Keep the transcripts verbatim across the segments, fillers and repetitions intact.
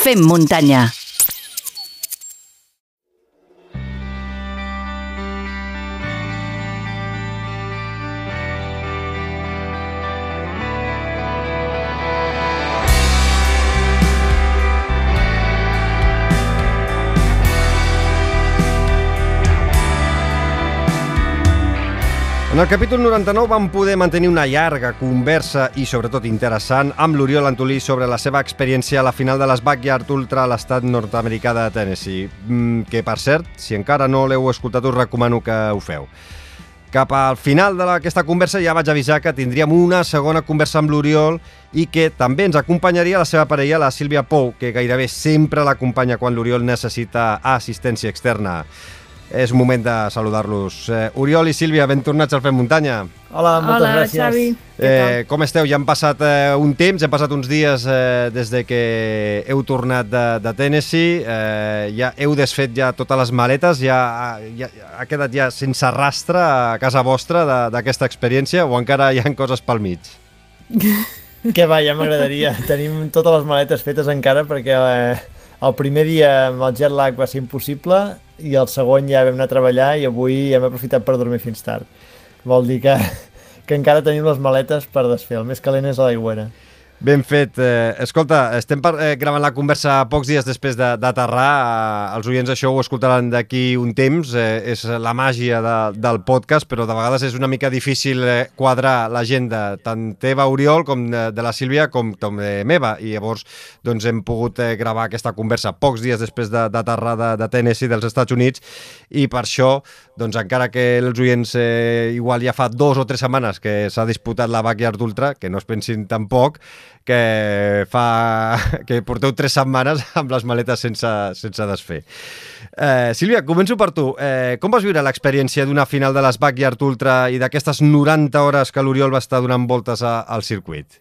Fem muntanya. En el capítol noranta-nou vam poder mantenir una llarga conversa i sobretot interessant amb l'Oriol Antolí sobre la seva experiència a la final de les Backyard Ultra a l'estat nord-americà de Tennessee, que per cert, si encara no l'heu escoltat us recomano que ho feu. Cap al final d'aquesta conversa ja vaig avisar que tindríem una segona conversa amb l'Oriol i que també ens acompanyaria la seva parella, la Sílvia Pou, que gairebé sempre l'acompanya quan l'Oriol necessita assistència externa. És un moment de saludar-los. Eh, Oriol i Sílvia, ben tornats al Fem Muntanya. Hola, moltes Hola, gràcies. Xavi. Eh, com esteu? Ja han passat eh, un temps, han passat uns dies eh, des de que heu tornat de, de Tennessee, eh, ja heu desfet ja totes les maletes, ja, ja ha quedat ja sense rastre a casa vostra d'aquesta experiència o encara hi ha coses pel mig? Que va, ja m'agradaria. Tenim totes les maletes fetes encara perquè eh, el primer dia amb el jet lag va ser impossible i el segon ja vam anar a treballar i avui hem aprofitat per dormir fins tard. Vol dir que, que encara tenim les maletes per desfer. El més calent és a l'aigüera. Ben fet. Eh, escolta, estem per, eh, gravant la conversa pocs dies després d'aterrar. Eh, els oients això ho escoltaran d'aquí un temps. Eh, és la màgia de, del podcast, però de vegades és una mica difícil eh, quadrar l'agenda tant teva, Oriol, com de, de la Sílvia, com, com de meva. I llavors doncs, hem pogut eh, gravar aquesta conversa pocs dies després d'aterrar de, de, de Tennessee, dels Estats Units, i per això, doncs, encara que els oients eh, igual ja fa dos o tres setmanes que s'ha disputat la Backyard Ultra, que no es pensin tampoc, que fa que porteu tres setmanes amb les maletes sense, sense desfer. Eh, Sílvia, començo per tu. Eh, com vas viure l'experiència d'una final de les Backyard Ultra i d'aquestes noranta hores que l'Oriol va estar donant voltes a, al circuit?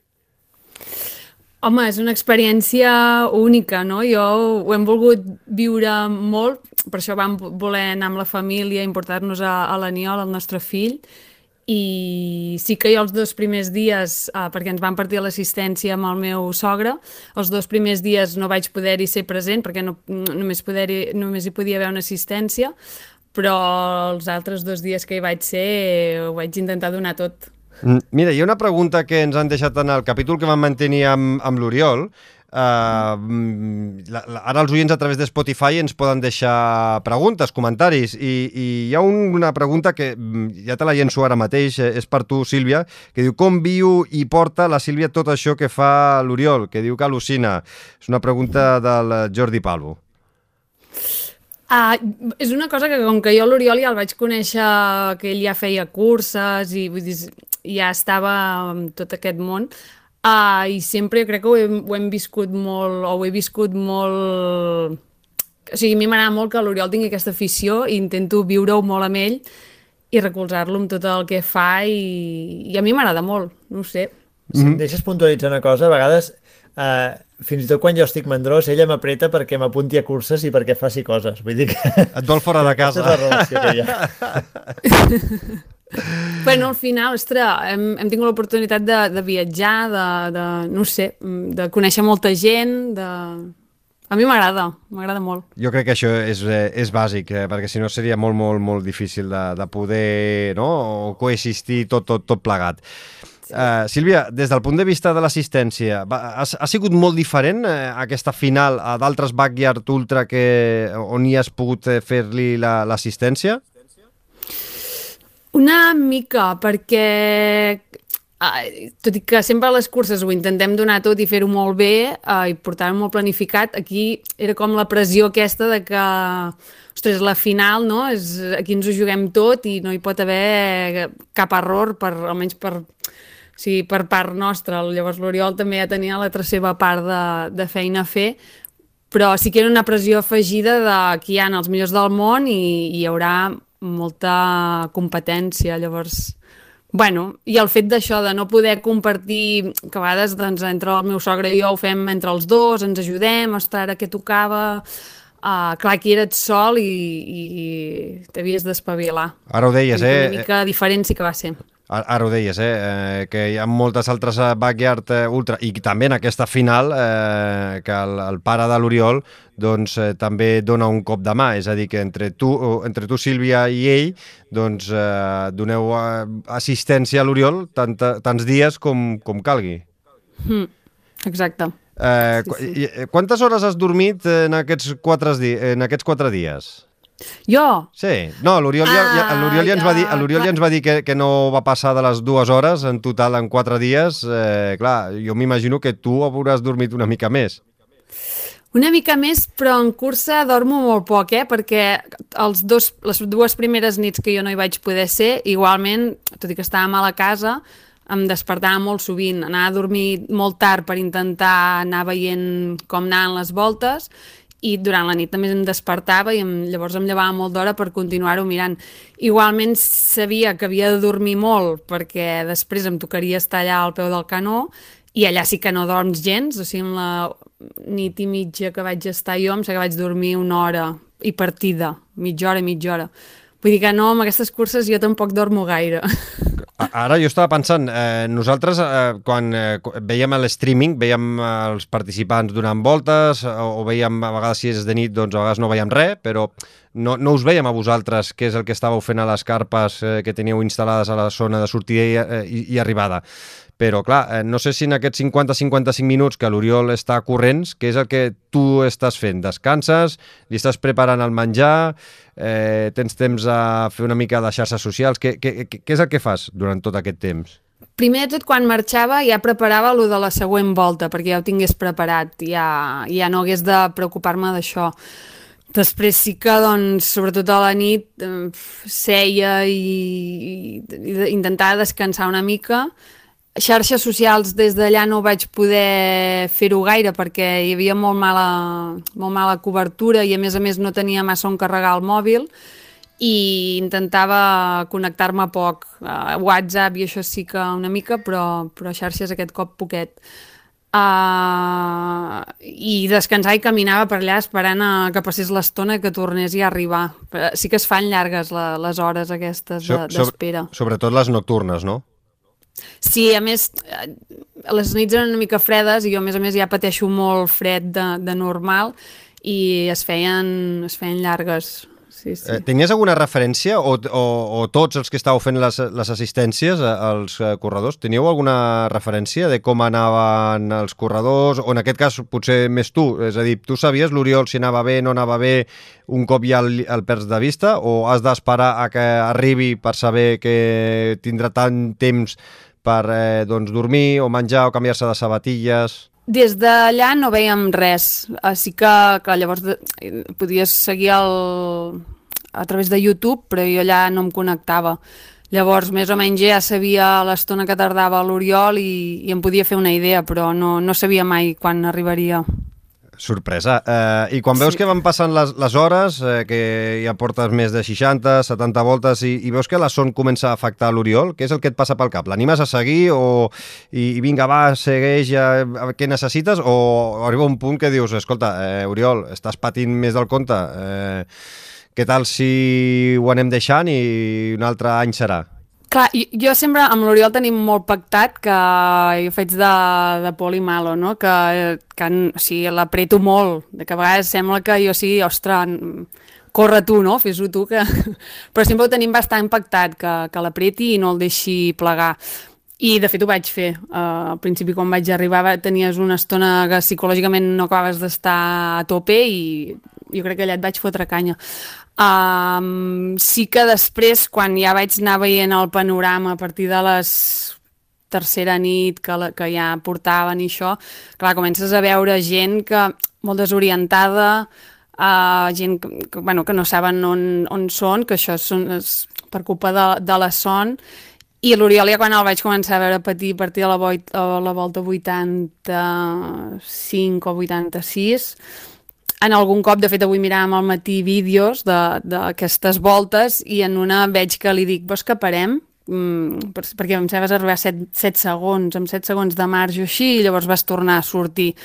Home, és una experiència única, no? Jo ho hem volgut viure molt, per això vam voler anar amb la família, importar-nos a, a l'Aniol, el nostre fill, i sí que jo els dos primers dies, eh, perquè ens van partir l'assistència amb el meu sogre, els dos primers dies no vaig poder-hi ser present perquè no, només, poder només hi podia haver una assistència, però els altres dos dies que hi vaig ser ho vaig intentar donar tot. Mira, hi ha una pregunta que ens han deixat en el capítol que vam mantenir amb, amb l'Oriol. Uh, la, la, ara els oients a través de Spotify ens poden deixar preguntes, comentaris, i, i hi ha un, una pregunta que ja te la llenço ara mateix, és per tu, Sílvia, que diu: com viu i porta la Sílvia tot això que fa l'Oriol? Que diu que al·lucina. És una pregunta del Jordi Palvo. Uh, és una cosa que com que jo l'Oriol ja el vaig conèixer, que ell ja feia curses i vull dir, ja estava en tot aquest món, uh, i sempre jo crec que ho hem, ho hem viscut molt, o ho he viscut molt... O sigui, a mi m'agrada molt que l'Oriol tingui aquesta afició i intento viure-ho molt amb ell i recolzar-lo amb tot el que fa i, i a mi m'agrada molt, no ho sé. Si em deixes puntualitzar una cosa, a vegades... Uh, fins i tot quan jo estic mandrós, ella m'apreta perquè m'apunti a curses i perquè faci coses. Vull dir que... Et vol fora de casa. Aquesta és la relació que hi ha. Bueno, al final, ostres, hem, hem tingut l'oportunitat de, de viatjar, de, de, no sé, de conèixer molta gent, de... A mi m'agrada, m'agrada molt. Jo crec que això és, és bàsic, eh, perquè si no seria molt, molt, molt difícil de, de poder, no?, coexistir tot, tot, tot plegat. Uh, Sílvia, des del punt de vista de l'assistència, ha, ha sigut molt diferent eh, aquesta final a d'altres Backyard Ultra que, on hi has pogut fer-li l'assistència? Una mica, perquè eh, tot i que sempre a les curses ho intentem donar tot i fer-ho molt bé eh, i portar-ho molt planificat, aquí era com la pressió aquesta de que, ostres, la final, no? És, aquí ens ho juguem tot i no hi pot haver cap error, per, almenys per... Sí, per part nostra. Llavors l'Oriol també ja tenia la seva part de, de feina a fer, però sí que era una pressió afegida de que hi ha els millors del món i, i hi haurà molta competència. Llavors, bueno, i el fet d'això, de no poder compartir, que a vegades doncs, entre el meu sogre i jo ho fem entre els dos, ens ajudem, ostres, ara què tocava... Uh, clar, aquí eres sol i, i, i t'havies d'espavilar. Ara ho deies, I eh? Una mica diferent sí que va ser. Ara ho deies, eh? eh? Que hi ha moltes altres backyard eh, ultra, i també en aquesta final eh, que el, el pare de l'Oriol doncs, eh, també dona un cop de mà, és a dir, que entre tu, entre tu Sílvia, i ell doncs, eh, doneu eh, assistència a l'Oriol tant, tants dies com, com calgui. Mm, exacte. Eh, sí, sí. Quantes hores has dormit en aquests quatre, di en aquests quatre dies? Jo? Sí, no, l'Oriol ja, ja, l'Oriol ja ens va dir, l'Oriol ja ens va dir que, que no va passar de les dues hores en total en quatre dies. Eh, clar, jo m'imagino que tu hauràs dormit una mica més. Una mica més, però en cursa dormo molt poc, eh? Perquè els dos, les dues primeres nits que jo no hi vaig poder ser, igualment, tot i que estàvem a la casa, em despertava molt sovint, anava a dormir molt tard per intentar anar veient com anaven les voltes, i durant la nit també em despertava i em, llavors em llevava molt d'hora per continuar-ho mirant. Igualment sabia que havia de dormir molt perquè després em tocaria estar allà al peu del canó i allà sí que no dorms gens, o sigui, en la nit i mitja que vaig estar jo em sé que vaig dormir una hora i partida, mitja hora i mitja hora. Vull dir que no, amb aquestes curses jo tampoc dormo gaire. Ara jo estava pensant, eh, nosaltres eh, quan eh, veiem l'streaming, veiem eh, els participants donant voltes, o, o veiem a vegades si és de nit, doncs a vegades no veiem res, però no, no us veiem a vosaltres què és el que estàveu fent a les carpes eh, que teníeu instal·lades a la zona de sortida i, eh, i, i arribada. Però, clar, eh, no sé si en aquests cinquanta a cinquanta-cinc minuts que l'Oriol està corrents, què és el que tu estàs fent? Descanses? Li estàs preparant el menjar? Eh, tens temps a fer una mica de xarxes socials? Què, què, què és el que fas durant tot aquest temps? Primer de tot, quan marxava ja preparava lo de la següent volta, perquè ja ho tingués preparat, ja, ja no hagués de preocupar-me d'això. Després sí que, doncs, sobretot a la nit, eh, seia i, i intentava descansar una mica. Xarxes socials des d'allà no vaig poder fer-ho gaire perquè hi havia molt mala, molt mala cobertura i a més a més no tenia massa on carregar el mòbil i intentava connectar-me poc. Uh, WhatsApp i això sí que una mica, però, però xarxes aquest cop poquet. Uh, I descansar i caminava per allà esperant a que passés l'estona que tornés a arribar. Però sí que es fan llargues la, les hores aquestes de, d'espera. Sobre, sobretot les nocturnes, no? Sí, a més, les nits eren una mica fredes i jo, a més a més, ja pateixo molt fred de, de normal i es feien, es feien llargues. Sí, sí. Eh, tenies alguna referència o, o, o tots els que estàveu fent les, les assistències als corredors, teníeu alguna referència de com anaven els corredors o en aquest cas potser més tu? És a dir, tu sabies l'Oriol si anava bé, no anava bé un cop ja el, el perds de vista o has d'esperar a que arribi per saber que tindrà tant temps per eh, doncs, dormir o menjar o canviar-se de sabatilles? Des d'allà no veiem res, així que clar, llavors de, podies seguir el, a través de YouTube, però jo allà no em connectava. Llavors, més o menys ja sabia l'estona que tardava l'Oriol i, i em podia fer una idea, però no, no sabia mai quan arribaria. Sorpresa. Eh, I quan veus sí. que van passant les, les hores, eh, que ja portes més de seixanta, setanta voltes, i, i veus que la son comença a afectar l'Oriol, què és el que et passa pel cap? L'animes a seguir o i, i vinga, va, segueix, a, a, què necessites? O arriba un punt que dius, escolta, eh, Oriol, estàs patint més del compte, eh, què tal si ho anem deixant i un altre any serà? Clar, jo sempre amb l'Oriol tenim molt pactat que jo faig de, de poli malo, no? Que, que o sigui, l'apreto molt, de que a vegades sembla que jo sigui, ostres, corre tu, no? Fes-ho tu, que... però sempre ho tenim bastant pactat, que, que l'apreti i no el deixi plegar. I de fet ho vaig fer. Uh, al principi quan vaig arribar tenies una estona que psicològicament no acabaves d'estar a tope i jo crec que allà et vaig fotre canya. Um, sí que després, quan ja vaig anar veient el panorama a partir de les tercera nit que, la, que ja portaven i això, clar, comences a veure gent que molt desorientada, uh, gent que, que, bueno, que no saben on, on són, que això són, és per culpa de, de la son. I l'Oriol ja quan el vaig començar a veure patir a partir de la, voit, la volta vuitanta-cinc o vuitanta-sis, en algun cop, de fet avui miràvem al matí vídeos d'aquestes voltes i en una veig que li dic, vols que parem? Mm, per, perquè em sembla arribar a set segons, amb set segons de marge o així, i llavors vas tornar a sortir.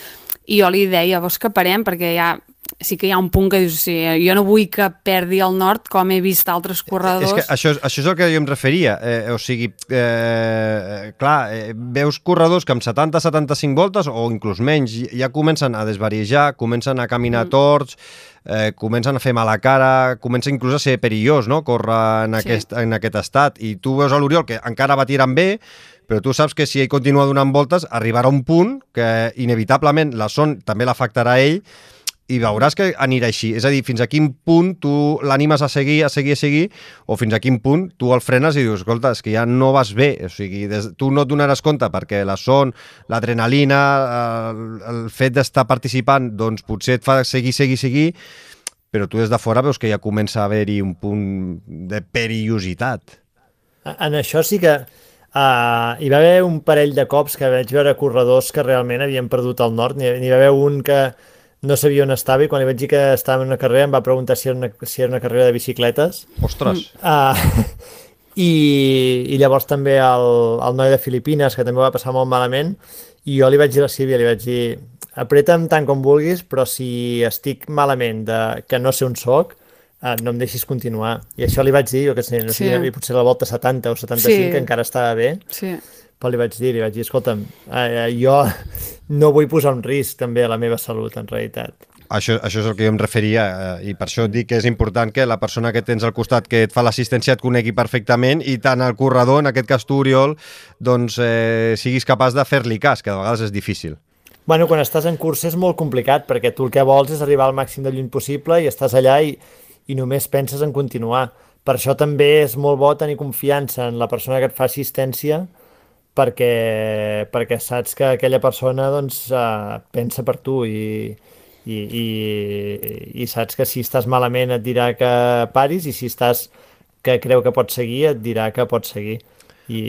I jo li deia, vols que parem? Perquè ja sí que hi ha un punt que dius, sí, jo no vull que perdi el nord com he vist altres corredors. És que això, això és el que jo em referia, eh, o sigui, eh, clar, eh, veus corredors que amb setanta setanta-cinc voltes o inclús menys ja comencen a desvariejar, comencen a caminar mm. torts, eh, comencen a fer mala cara, comença inclús a ser perillós, no?, córrer en, sí. aquest, en aquest estat, i tu veus a l'Oriol que encara va tirant bé, però tu saps que si ell continua donant voltes arribarà un punt que inevitablement la son també l'afectarà a ell, i veuràs que anirà així. És a dir, fins a quin punt tu l'animes a seguir, a seguir, a seguir, o fins a quin punt tu el frenes i dius, escolta, és que ja no vas bé. O sigui, des, tu no et donaràs compte perquè la son, l'adrenalina, el, el fet d'estar participant, doncs potser et fa seguir, seguir, seguir, però tu des de fora veus que ja comença a haver-hi un punt de perillositat. En això sí que uh, hi va haver un parell de cops que vaig veure corredors que realment havien perdut el nord. N'hi va haver un que no sabia on estava i quan li vaig dir que estava en una carrera em va preguntar si era una, si era una carrera de bicicletes. Ostres! Uh, i, I llavors també el, el noi de Filipines, que també va passar molt malament, i jo li vaig dir a la Sílvia, li vaig dir, apreta'm tant com vulguis, però si estic malament de que no sé on soc, uh, no em deixis continuar. I això li vaig dir, jo que sé, no sé, sí. potser la volta setanta o setanta-cinc, sí. que encara estava bé. Sí. Però li vaig dir, li vaig dir, escolta'm, eh, jo no vull posar un risc també a la meva salut, en realitat. Això, això és el que jo em referia, eh, i per això dic que és important que la persona que tens al costat que et fa l'assistència et conegui perfectament i tant el corredor, en aquest cas tu, Oriol, doncs eh, siguis capaç de fer-li cas, que de vegades és difícil. Bueno, quan estàs en cursa és molt complicat, perquè tu el que vols és arribar al màxim de lluny possible i estàs allà i, i només penses en continuar. Per això també és molt bo tenir confiança en la persona que et fa assistència, perquè, perquè saps que aquella persona doncs, uh, pensa per tu i, i, i, i saps que si estàs malament et dirà que paris i si estàs que creu que pots seguir et dirà que pots seguir. I,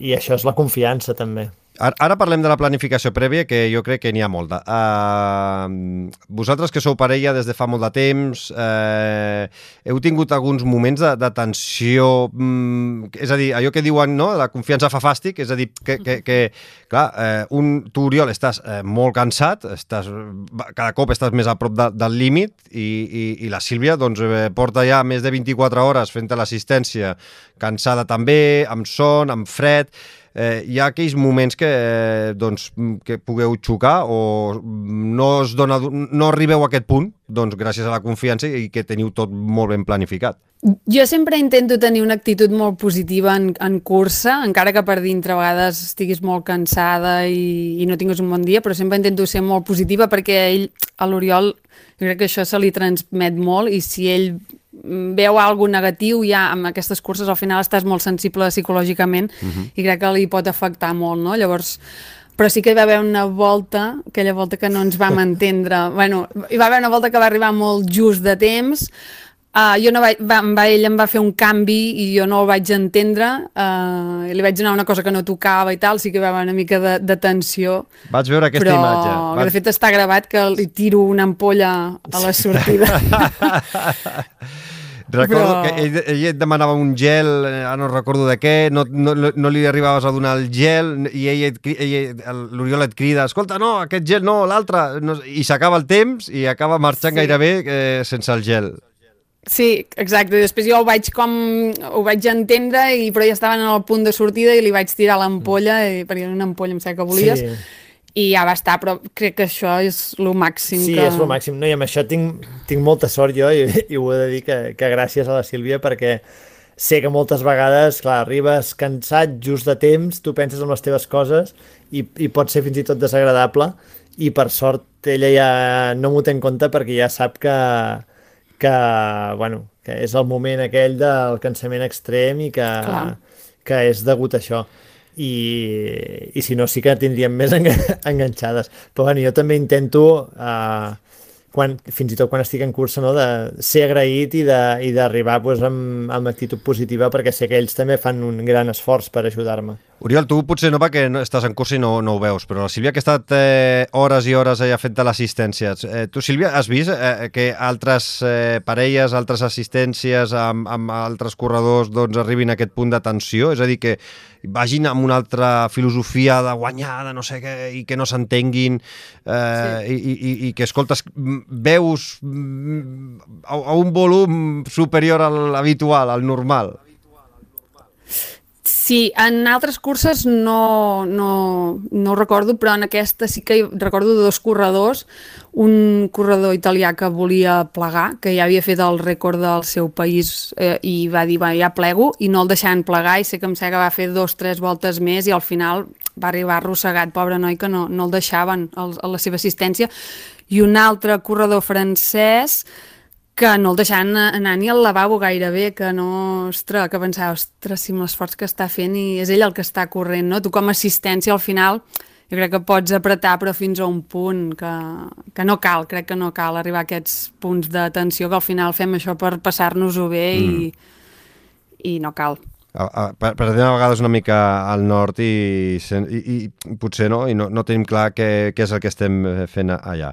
i això és la confiança també. Ara parlem de la planificació prèvia, que jo crec que n'hi ha molta. Uh, vosaltres que sou parella des de fa molt de temps, uh, heu tingut alguns moments de, de tensió, um, és a dir, allò que diuen, no?, la confiança fa fàstic, és a dir, que, que, que clar, uh, un, tu, Oriol, estàs uh, molt cansat, estàs, cada cop estàs més a prop de, del límit i, i, i la Sílvia doncs, eh, porta ja més de vint-i-quatre hores fent l'assistència, cansada també, amb son, amb fred. Eh, hi ha aquells moments que, eh, doncs, que pugueu xocar o no, es dona, no arribeu a aquest punt, doncs gràcies a la confiança i que teniu tot molt ben planificat. Jo sempre intento tenir una actitud molt positiva en, en cursa, encara que per dintre a vegades estiguis molt cansada i, i no tinguis un bon dia, però sempre intento ser molt positiva perquè ell, a l'Oriol, jo crec que això se li transmet molt i si ell veu alguna negatiu ja amb aquestes curses al final estàs molt sensible psicològicament uh-huh. i crec que li pot afectar molt, no? Llavors, però sí que hi va haver una volta, aquella volta que no ens vam entendre, bueno, hi va haver una volta que va arribar molt just de temps, uh, jo no vaig, va, va, ell em va fer un canvi i jo no el vaig entendre, uh, li vaig donar una cosa que no tocava i tal, sí que hi va haver una mica de, de tensió. Vaig veure aquesta però, imatge. Però vaig... de fet està gravat que li tiro una ampolla a la sortida. Recordo però... que ell, ell et demanava un gel, ara no recordo de què, no, no, no li arribaves a donar el gel i ell, ell, l'Oriol et crida, escolta, no, aquest gel no, l'altre, no, i s'acaba el temps i acaba marxant sí. gairebé eh, sense el gel. Sí, exacte, i després jo ho vaig com ho vaig entendre, i, però ja estaven en el punt de sortida i li vaig tirar l'ampolla, mm. perquè era una ampolla, em sembla que volies, sí. i ja va estar, però crec que això és el màxim. Sí, que... és el màxim. No, i amb això tinc, tinc molta sort jo i, i ho he de dir que, que gràcies a la Sílvia, perquè sé que moltes vegades, clar, arribes cansat just de temps, tu penses en les teves coses i, i pot ser fins i tot desagradable i per sort ella ja no m'ho té en compte perquè ja sap que, que, bueno, que és el moment aquell del cansament extrem i que, que és degut a això. I, i si no sí que tindríem més enganxades, però bueno, jo també intento uh, quan, fins i tot quan estic en cursa, no, de ser agraït i d'arribar pues, amb, amb actitud positiva perquè sé que ells també fan un gran esforç per ajudar-me. Oriol, tu potser no perquè no estàs en cursa i no, no ho veus, però la Sílvia que ha estat eh, hores i hores allà fent l'assistència, eh, tu Sílvia has vist eh, que altres eh, parelles, altres assistències amb, amb altres corredors doncs, arribin a aquest punt de tensió? És a dir, que vagin amb una altra filosofia de guanyar, de no sé què, i que no s'entenguin, eh, sí. i, i, i que, escoltes, veus a, a un volum superior a l'habitual, al normal. Sí, en altres curses no, no, no ho recordo, però en aquesta sí que recordo dos corredors, un corredor italià que volia plegar, que ja havia fet el rècord del seu país eh, i va dir, va, ja plego, i no el deixaven plegar, i sé que em sé que va fer dos, tres voltes més i al final va arribar arrossegat, pobre noi, que no, no el deixaven a la seva assistència. I un altre corredor francès que no el deixaven anar ni al lavabo gairebé, que no, ostres, que pensava, ostres, si amb l'esforç que està fent i és ell el que està corrent, no? Tu com a assistència al final jo crec que pots apretar però fins a un punt que, que no cal, crec que no cal arribar a aquests punts de tensió, que al final fem això per passar-nos-ho bé i, mm. i no cal. A, a, per, per a vegades una mica al nord i, i, i potser no, i no, no tenim clar què, què és el que estem fent allà.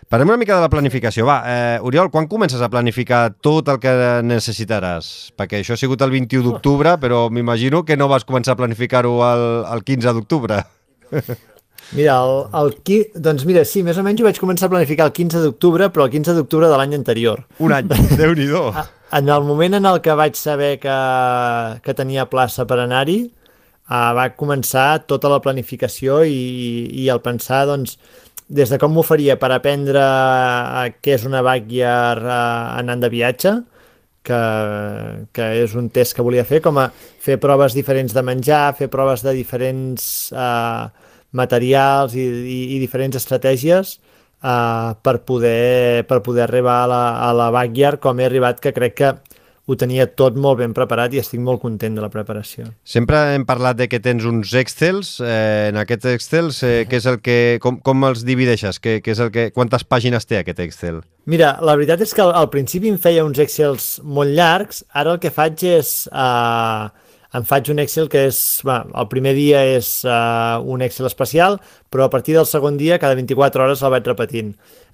Parlem una mica de la planificació. Va, eh, Oriol, quan comences a planificar tot el que necessitaràs? Perquè això ha sigut el vint-i-u d'octubre, però m'imagino que no vas començar a planificar-ho el, el quinze d'octubre. Mira, el, el, doncs mira, sí, més o menys ho vaig començar a planificar el quinze d'octubre, però el quinze d'octubre de l'any anterior. Un any, Déu-n'hi-do. En el moment en el que vaig saber que, que tenia plaça per anar-hi, uh, va començar tota la planificació i, i el pensar, doncs, des de com m'ho faria per aprendre uh, què és una backyard uh, anant de viatge, que, que és un test que volia fer, com a fer proves diferents de menjar, fer proves de diferents uh, materials i, i, i diferents estratègies, Uh, per, poder, per poder arribar a la, a la backyard com he arribat, que crec que ho tenia tot molt ben preparat i estic molt content de la preparació. Sempre hem parlat de que tens uns Excels, eh, en aquests Excels eh, què és el que, com, com els divideixes? Què, què és el que, quantes pàgines té aquest Excel? Mira, la veritat és que al, al principi em feia uns Excels molt llargs, ara el que faig és... Uh, em faig un Excel que és, bueno, el primer dia és uh, un Excel especial, però a partir del segon dia, cada vint-i-quatre hores el vaig repetint.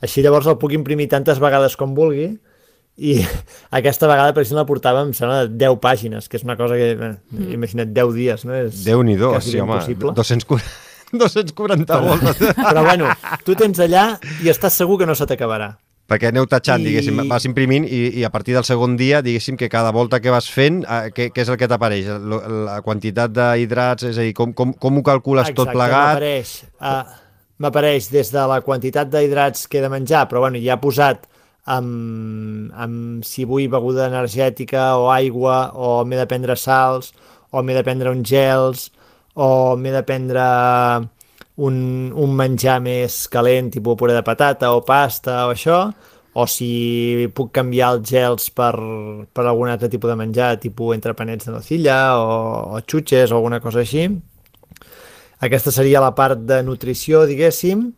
Així llavors el puc imprimir tantes vegades com vulgui, i aquesta vegada, per exemple, portava, em sembla, deu pàgines, que és una cosa que, eh, mm. imagina't, deu dies, no? És Déu-n'hi-do, sí, home, dos-cents quaranta voltes. Però bueno, tu tens allà i estàs segur que no se t'acabarà. Perquè aneu tatxant, I... diguéssim, vas imprimint i, i a partir del segon dia, diguéssim, que cada volta que vas fent, eh, què, què és el que t'apareix? La, la quantitat d'hidrats, és a dir, com, com, com ho calcules Exacte, tot plegat? M'apareix, uh, m'apareix des de la quantitat d'hidrats que he de menjar, però bueno, ja ha posat amb, amb si vull beguda energètica o aigua, o m'he de prendre sals, o m'he de prendre uns gels, o m'he de prendre... Un, un menjar més calent, tipus puré de patata o pasta o això, o si puc canviar els gels per, per algun altre tipus de menjar, tipus entrepanets de nocilla o, o xutxes o alguna cosa així. Aquesta seria la part de nutrició, diguéssim,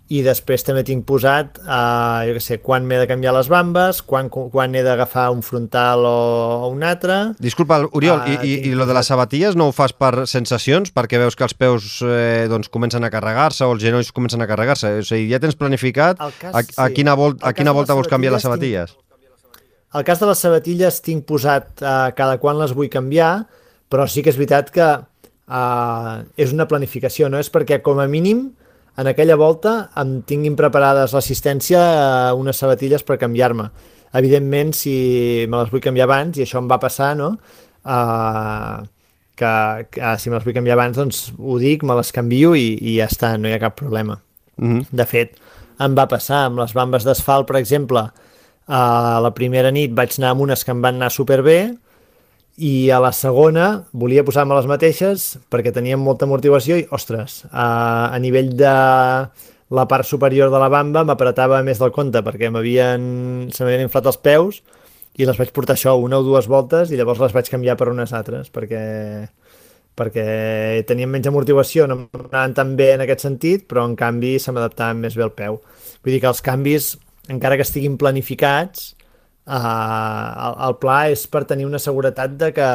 i després també tinc posat, uh, jo què sé, quan m'he de canviar les bambes, quan, quan he d'agafar un frontal o, o un altre... Disculpa, Oriol, uh, i, i, i lo de les sabatilles no ho fas per sensacions, perquè veus que els peus eh, doncs, comencen a carregar-se o els genolls comencen a carregar-se? O sigui, ja tens planificat cas, a, a quina, vol, a quina volta vols canviar les sabatilles? Tinc... El cas de les sabatilles tinc posat uh, cada quan les vull canviar, però sí que és veritat que uh, és una planificació, no? És perquè com a mínim en aquella volta em tinguin preparades l'assistència a unes sabatilles per canviar-me. Evidentment, si me les vull canviar abans, i això em va passar, no? Uh, que, que si me les vull canviar abans, doncs ho dic, me les canvio i, i ja està, no hi ha cap problema. Mm-hmm. De fet, em va passar amb les bambes d'asfalt, per exemple, uh, la primera nit vaig anar amb unes que em van anar superbé, i a la segona volia posar-me les mateixes perquè teníem molta amortiguació i, ostres, a, a nivell de la part superior de la bamba m'apretava més del compte perquè m'havien, se m'havien inflat els peus i les vaig portar això una o dues voltes i llavors les vaig canviar per unes altres perquè, perquè tenien menys amortiguació, no anaven tan bé en aquest sentit, però en canvi se m'adaptaven més bé al peu. Vull dir que els canvis, encara que estiguin planificats, Uh, el, el pla és per tenir una seguretat de que,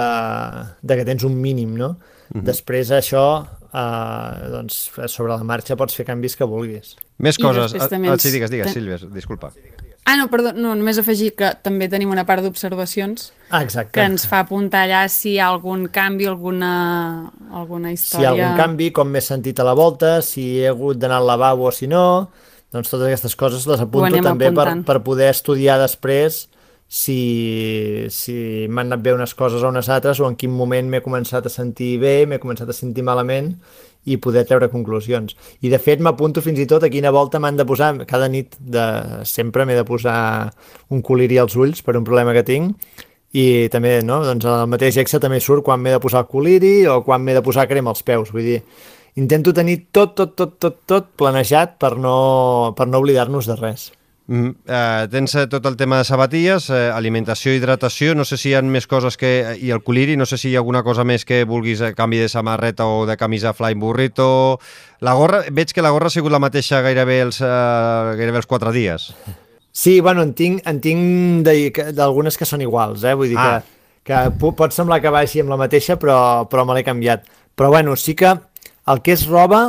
de que tens un mínim, no? Uh-huh. Després això, uh, doncs, sobre la marxa pots fer canvis que vulguis. Més coses. Ah, ens... sí, digues, digues, Sílvia, disculpa. Ah, no, perdó, no, només afegir que també tenim una part d'observacions ah, exacte. que ens fa apuntar allà si hi ha algun canvi, alguna, alguna història... Si hi ha algun canvi, com m'he sentit a la volta, si he hagut d'anar al lavabo o si no... doncs totes aquestes coses les apunto anem també per, apuntant. per poder estudiar després si, si m'han anat bé unes coses o unes altres, o en quin moment m'he començat a sentir bé, m'he començat a sentir malament, i poder treure conclusions. I de fet m'apunto fins i tot a quina volta m'han de posar, cada nit de, sempre m'he de posar un col·liri als ulls per un problema que tinc, i també, no, doncs el mateix Excel també surt quan m'he de posar el col·liri o quan m'he de posar crema als peus, vull dir, intento tenir tot, tot, tot, tot, tot planejat per no, per no oblidar-nos de res. Mm, eh, tens eh, tot el tema de sabatilles, eh, alimentació, hidratació, no sé si hi ha més coses que... i el coliri, no sé si hi ha alguna cosa més que vulguis, eh, canvi de samarreta o de camisa flying burrito. La gorra, veig que la gorra ha sigut la mateixa gairebé els, eh, gairebé els quatre dies. Sí, bueno, en tinc, en tinc d'algunes que són iguals, eh? Vull dir ah. que, que pot semblar que vagi amb la mateixa, però, però me l'he canviat. Però bueno, sí que el que és roba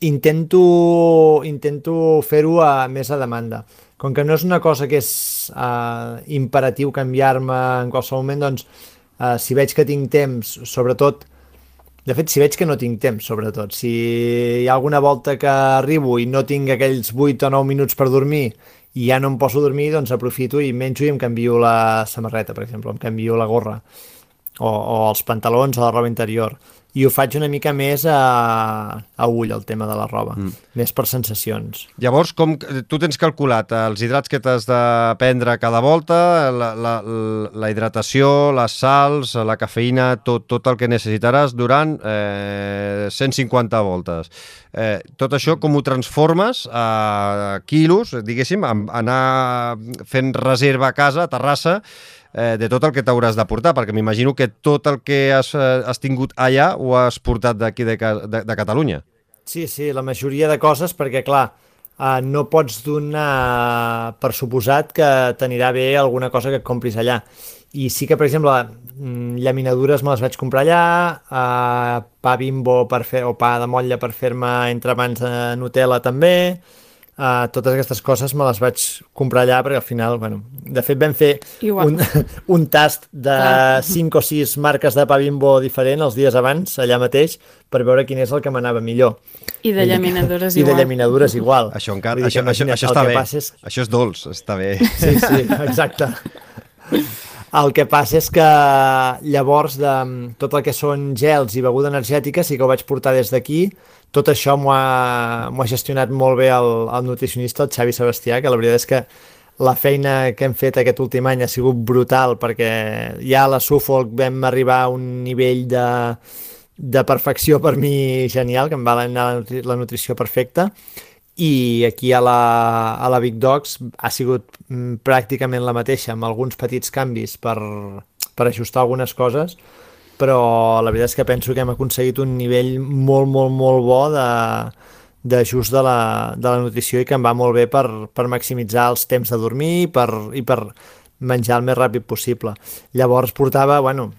intento, intento fer-ho a, més a demanda. Com que no és una cosa que és uh, imperatiu canviar-me en qualsevol moment, doncs uh, si veig que tinc temps, sobretot, de fet, si veig que no tinc temps, sobretot, si hi ha alguna volta que arribo i no tinc aquells vuit o nou minuts per dormir i ja no em poso a dormir, doncs aprofito i menjo i em canvio la samarreta, per exemple, em canvio la gorra, o, o els pantalons o la roba interior. I ho faig una mica més a, a ull, el tema de la roba, mm. més per sensacions. Llavors, com tu tens calculat els hidrats que t'has de prendre cada volta, la, la, la hidratació, les sals, la cafeïna, tot, tot el que necessitaràs durant eh, cent cinquanta voltes. Eh, tot això com ho transformes a quilos, diguéssim, a anar fent reserva a casa, a Terrassa, Eh, de tot el que t'hauràs de portar, perquè m'imagino que tot el que has, eh, has tingut allà ho has portat d'aquí de, de, de Catalunya. Sí, sí, la majoria de coses, perquè clar, eh, no pots donar per suposat que t'anirà bé alguna cosa que et compris allà. I sí que, per exemple, llaminadures me les vaig comprar allà, eh, pa Bimbo per fer, o pa de motlla per fer-me entrepans de Nutella també. Uh, totes aquestes coses me les vaig comprar allà perquè al final, bueno, de fet vam fer un, un tast de cinc o sis marques de pa Bimbo diferent els dies abans, allà mateix, per veure quin és el que m'anava millor. I de llaminadures I igual. I de llaminadures igual. Això encara, això, això, això està bé, és... això és dolç, està bé. Sí, sí, exacte. El que passa és que llavors de tot el que són gels i beguda energètica sí que ho vaig portar des d'aquí. Tot això m'ho ha, m'ho ha gestionat molt bé el, el nutricionista, el Xavi Sebastià, que la veritat és que la feina que hem fet aquest últim any ha sigut brutal, perquè ja a la Suffolk vam arribar a un nivell de, de perfecció per mi genial, que em va anar la, nutri la nutrició perfecta, i aquí a la, a la Big Dogs ha sigut mm, pràcticament la mateixa, amb alguns petits canvis per, per ajustar algunes coses, però la veritat és que penso que hem aconseguit un nivell molt, molt, molt bo d'ajust de, de, la, de la nutrició i que em va molt bé per, per maximitzar els temps de dormir per, i per menjar el més ràpid possible. Llavors portava, bueno,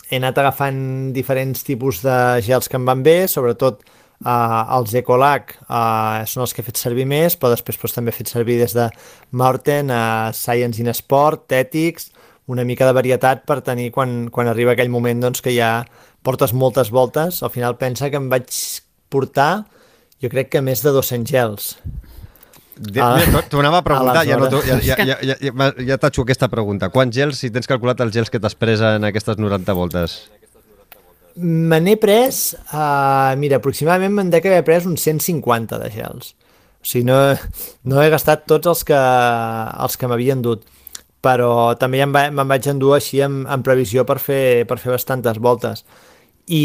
he anat agafant diferents tipus de gels que em van bé, sobretot Uh, els Ecolac uh, són els que he fet servir més, però després pues, també he fet servir des de Maurten, uh, Science in Sport, Tètics, una mica de varietat per tenir quan, quan arriba aquell moment doncs, que ja portes moltes voltes. Al final pensa que em vaig portar, jo crec que més de dos-cents gels. Ah, T'ho anava a preguntar, a ja, no, ja, ja, ja, ja, ja, ja t'atxo aquesta pregunta. Quants gels, si tens calculat els gels que t'has pres en aquestes noranta voltes? Me n'he pres, uh, mira, aproximadament me'n dec haver pres uns cent cinquanta de gels. O sigui, no, no he gastat tots els que, els que m'havien dut, però també ja me'n vaig endur així en, en previsió per fer, per fer bastantes voltes. I,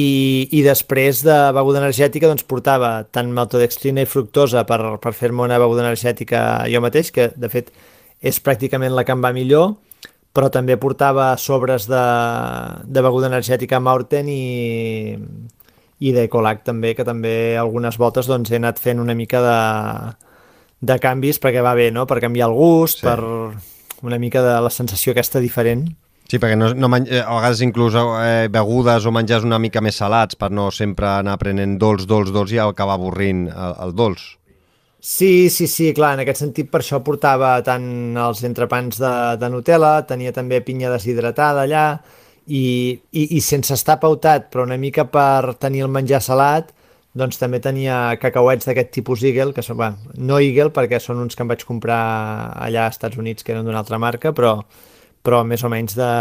i després de beguda energètica doncs portava tant maltodextrina i fructosa per, per fer-me una beguda energètica jo mateix, que de fet és pràcticament la que em va millor, però també portava sobres de, de beguda energètica Maurten i, i d'Ecolac també, que també algunes voltes doncs, he anat fent una mica de, de canvis perquè va bé, no? Per canviar el gust, sí. Per una mica de la sensació aquesta diferent. Sí, perquè no, no a vegades inclús eh, begudes o menjars una mica més salats per no sempre anar prenent dolç, dolç, dolç i acabar avorrint el, el dolç. Sí, sí, sí, clar, en aquest sentit per això portava tant els entrepans de, de Nutella, tenia també pinya deshidratada allà i, i, i sense estar pautat, però una mica per tenir el menjar salat, doncs també tenia cacauets d'aquest tipus Eagle, que són, bueno, no Eagle perquè són uns que em vaig comprar allà als Estats Units, que eren d'una altra marca, però, però més o menys de,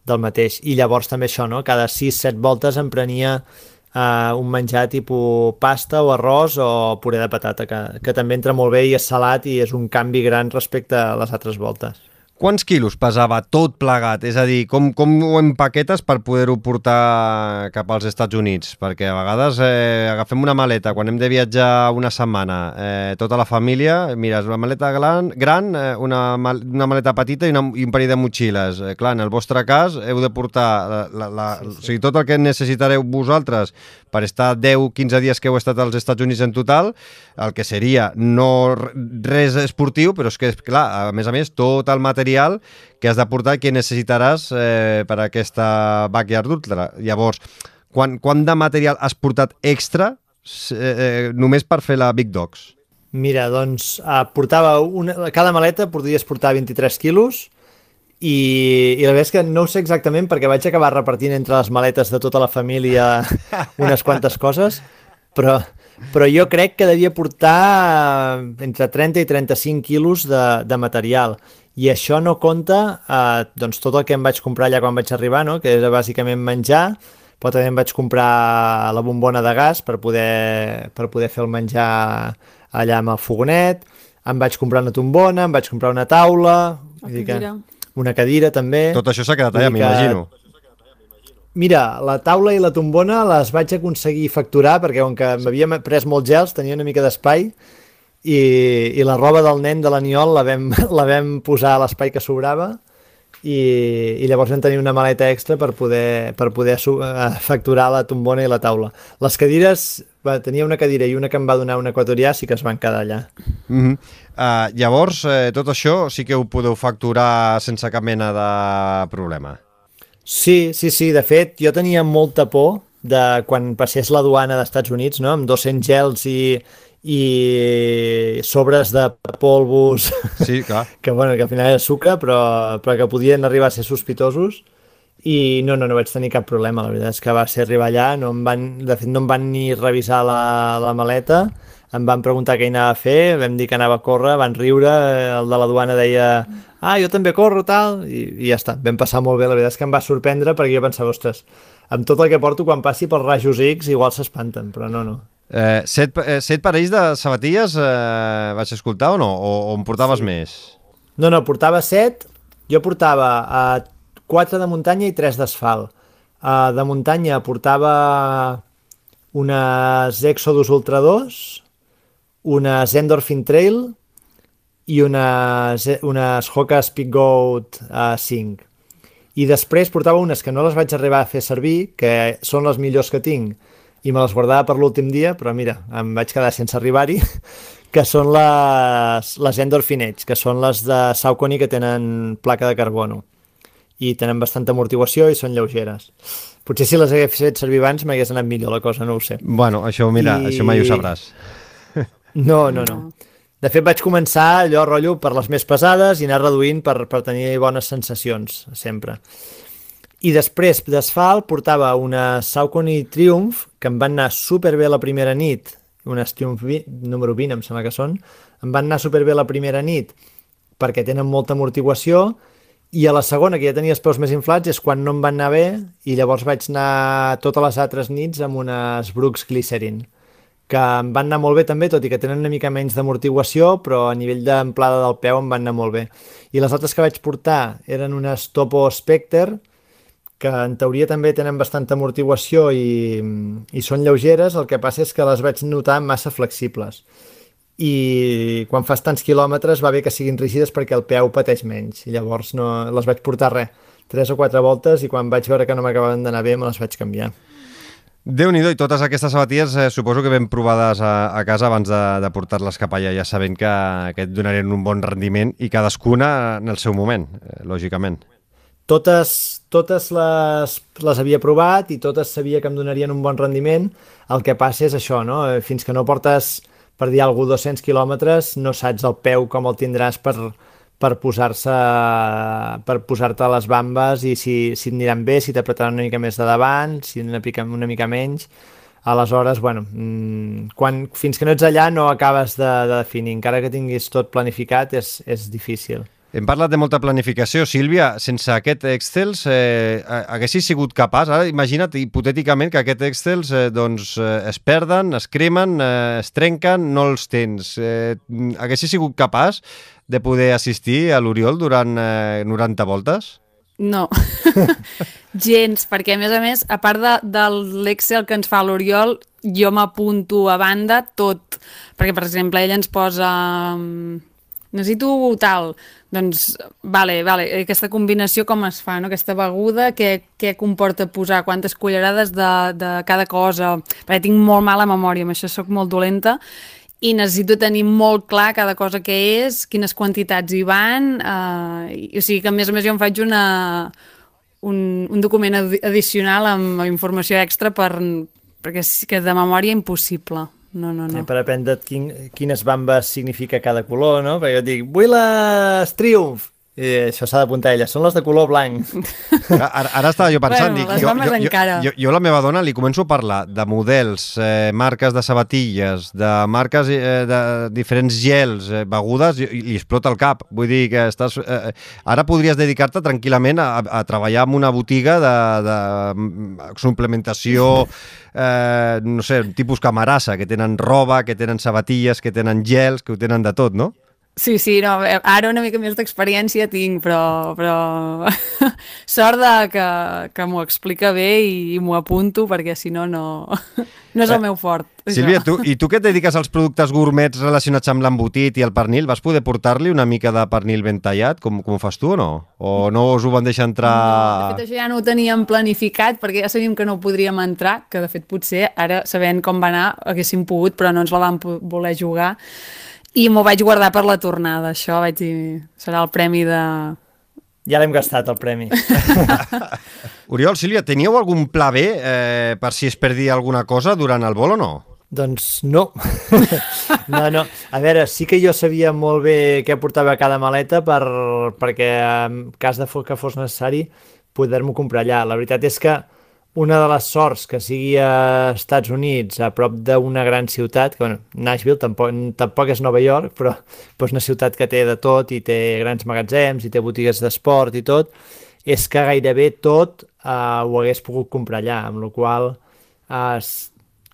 del mateix. I llavors també això, no? Cada sis set voltes em prenia uh, un menjar tipus pasta o arròs o puré de patata, que, que també entra molt bé i és salat i és un canvi gran respecte a les altres voltes. Quants quilos pesava tot plegat? És a dir, com, com ho empaquetes per poder-ho portar cap als Estats Units? Perquè a vegades eh, agafem una maleta, quan hem de viatjar una setmana, eh, tota la família, mira, és una maleta gran, gran eh, una, mal, una maleta petita i, una, i un parell de motxilles. Eh, clar, en el vostre cas heu de portar la, la, la, sí, sí. O sigui, tot el que necessitareu vosaltres per estar deu quinze dies que heu estat als Estats Units en total, el que seria no res esportiu, però és que, clar, a més a més, tot el material que has de portar que necessitaràs eh, per a aquesta Backyard Ultra. Llavors, quan, quant de material has portat extra eh, eh, només per fer la Big Dogs? Mira, doncs, eh, portava una, cada maleta podries portar vint-i-tres quilos i, i la veritat és que no ho sé exactament perquè vaig acabar repartint entre les maletes de tota la família unes quantes coses, però, però jo crec que devia portar entre trenta i trenta-cinc quilos de, de material. I això no compta eh, doncs tot el que em vaig comprar allà quan vaig arribar, no? Que era bàsicament menjar, però també em vaig comprar la bombona de gas per poder, per poder fer el menjar allà amb el fogonet, em vaig comprar una tombona, em vaig comprar una taula, vull dir que, una cadira també. Tot això s'ha quedat allà, m'imagino. Mira, la taula i la tombona les vaig aconseguir facturar perquè com que m'havia pres molts gels, tenia una mica d'espai, I, i la roba del nen de l'Aniol la, vam, la vam posar a l'espai que sobrava i, i llavors vam tenir una maleta extra per poder, per poder facturar la tombona i la taula. Les cadires, va, tenia una cadira i una que em va donar un equatorià, sí que es van quedar allà. Mm-hmm. uh, llavors, eh, tot això sí que ho podeu facturar sense cap mena de problema? Sí, sí, sí. De fet, jo tenia molta por de quan passés la duana dels Estats Units, no? Amb dos-cents gels i i sobres de polvos sí, clar. que, bueno, que al final era sucre però, però que podien arribar a ser sospitosos i no, no, no vaig tenir cap problema, la veritat és que va ser arribar allà, no em van, de fet no em van ni revisar la, la maleta, em van preguntar què hi anava a fer, vam dir que anava a córrer, van riure, el de la duana deia ah, jo també corro, tal, i, i ja està, vam passar molt bé, la veritat és que em va sorprendre perquè jo pensava, ostres, amb tot el que porto quan passi pels rajos X igual s'espanten, però no, no. Eh, set, eh, set parells de sabatilles eh, vaig escoltar o no? O, o en portaves sí. més? No, no, portava set. Jo portava eh, quatre de muntanya i tres d'asfalt. Eh, de muntanya portava unes Exodus Ultra dos, unes Endorphin Trail i unes, unes Hoka Speed Goat eh, cinc. I després portava unes que no les vaig arribar a fer servir, que són les millors que tinc, i me les guardava per l'últim dia, però mira, em vaig quedar sense arribar-hi, que són les, les Endorphin Edge, que són les de Saucony que tenen placa de carbono i tenen bastanta amortiguació i són lleugeres. Potser si les hagués fet servir abans m'hagués anat millor la cosa, no ho sé. Bueno, això, mira, I... això mai ho sabràs. No, no, no. De fet, vaig començar allò, rotllo, per les més pesades i anar reduint per, per tenir bones sensacions, sempre. I després d'asfalt portava una Saucony Triumph, que em van anar superbé la primera nit, unes Triumph número vint, em sembla que són, em van anar superbé la primera nit perquè tenen molta amortiguació, i a la segona, que ja tenia els peus més inflats, és quan no em van anar bé, i llavors vaig anar totes les altres nits amb unes Brooks Glycerin, que em van anar molt bé també, tot i que tenen una mica menys d'amortiguació, però a nivell d'amplada del peu em van anar molt bé. I les altres que vaig portar eren unes Topo Spectre, que en teoria també tenen bastanta amortiguació i, i són lleugeres, el que passa és que les vaig notar massa flexibles. I quan fas tants quilòmetres va bé que siguin rígides perquè el peu pateix menys. I llavors no, les vaig portar res, tres o quatre voltes, i quan vaig veure que no m'acabaven d'anar bé me les vaig canviar. Déu-n'hi-do, i totes aquestes sabatilles eh, suposo que ben provades a, a casa abans de, de portar-les cap allà, ja sabent que, que et donarien un bon rendiment i cadascuna en el seu moment, eh, lògicament. Totes, totes les, les havia provat i totes sabia que em donarien un bon rendiment. El que passa és això, no? Fins que no portes, per dir alguna cosa, dos-cents quilòmetres, no saps el peu com el tindràs per, per posar-se per posar-te a les bambes i si, si et aniran bé, si t'apretaran una mica més de davant, si una mica, una mica menys. Aleshores, bueno, quan, fins que no ets allà no acabes de, de definir. Encara que tinguis tot planificat, és, és difícil. Hem parlat de molta planificació. Sílvia, sense aquest Excel, eh, haguessis sigut capaç? Ara imagina't hipotèticament que aquest Excel eh, doncs, eh, es perden, es cremen, eh, es trenquen, no els tens. Eh, haguessis sigut capaç de poder assistir a l'Oriol durant eh, noranta voltes? No, gens, perquè a més a més, a part de, de l'Excel que ens fa l'Oriol, jo m'apunto a banda tot, perquè per exemple ell ens posa... necessito tal, doncs, vale, vale, aquesta combinació com es fa, no? Aquesta beguda, què, què comporta posar, quantes cullerades de, de cada cosa, perquè tinc molt mala memòria, amb això sóc molt dolenta, i necessito tenir molt clar cada cosa que és, quines quantitats hi van, eh, i, o sigui que a més a més jo em faig una, un, un document addicional amb informació extra per, perquè és que de memòria impossible. No, no, no. Per aprendre quin, quines bambes significa cada color, no? Perquè jo dic, vull les Triumph! I això s'ha d'apuntar a ella, són les de color blanc. Ara, ara estava jo pensant, bueno, dic, les jo, bambes jo, encara. Jo, jo, jo la meva dona li començo a parlar de models, eh, marques de sabatilles, de marques eh, de diferents gels, eh, begudes, i, i li explota el cap. Vull dir que estàs... Eh, ara podries dedicar-te tranquil·lament a, a treballar en una botiga de, de suplementació, eh, no sé, tipus Camarasa, que tenen roba, que tenen sabatilles, que tenen gels, que ho tenen de tot, no? Sí, sí, no, ara una mica més d'experiència tinc, però, però sort de que, que m'ho explica bé i, i m'ho apunto, perquè si no, no, no és el meu fort. Sílvia, tu, i tu que et dediques als productes gourmets relacionats amb l'embotit i el pernil, vas poder portar-li una mica de pernil ben tallat, com, com ho fas tu o no? O no us ho van deixar entrar... No, de fet això ja no ho teníem planificat, perquè ja sabíem que no podríem entrar, que de fet potser ara, sabent com va anar, haguéssim pogut, però no ens la vam voler jugar. I m'ho vaig guardar per la tornada, això, vaig dir, serà el premi de... Ja l'hem gastat, el premi. Oriol, Sílvia, teníeu algun pla B eh, per si es perdia alguna cosa durant el vol o no? Doncs no. no, no. A veure, sí que jo sabia molt bé què portava cada maleta per, perquè en cas de que fos necessari poder-m'ho comprar allà. La veritat és que una de les sorts que sigui a Estats Units, a prop d'una gran ciutat, que bueno, Nashville tampoc, tampoc és Nova York, però, però és una ciutat que té de tot i té grans magatzems i té botigues d'esport i tot, és que gairebé tot eh, ho hagués pogut comprar allà, amb la qual cosa, eh,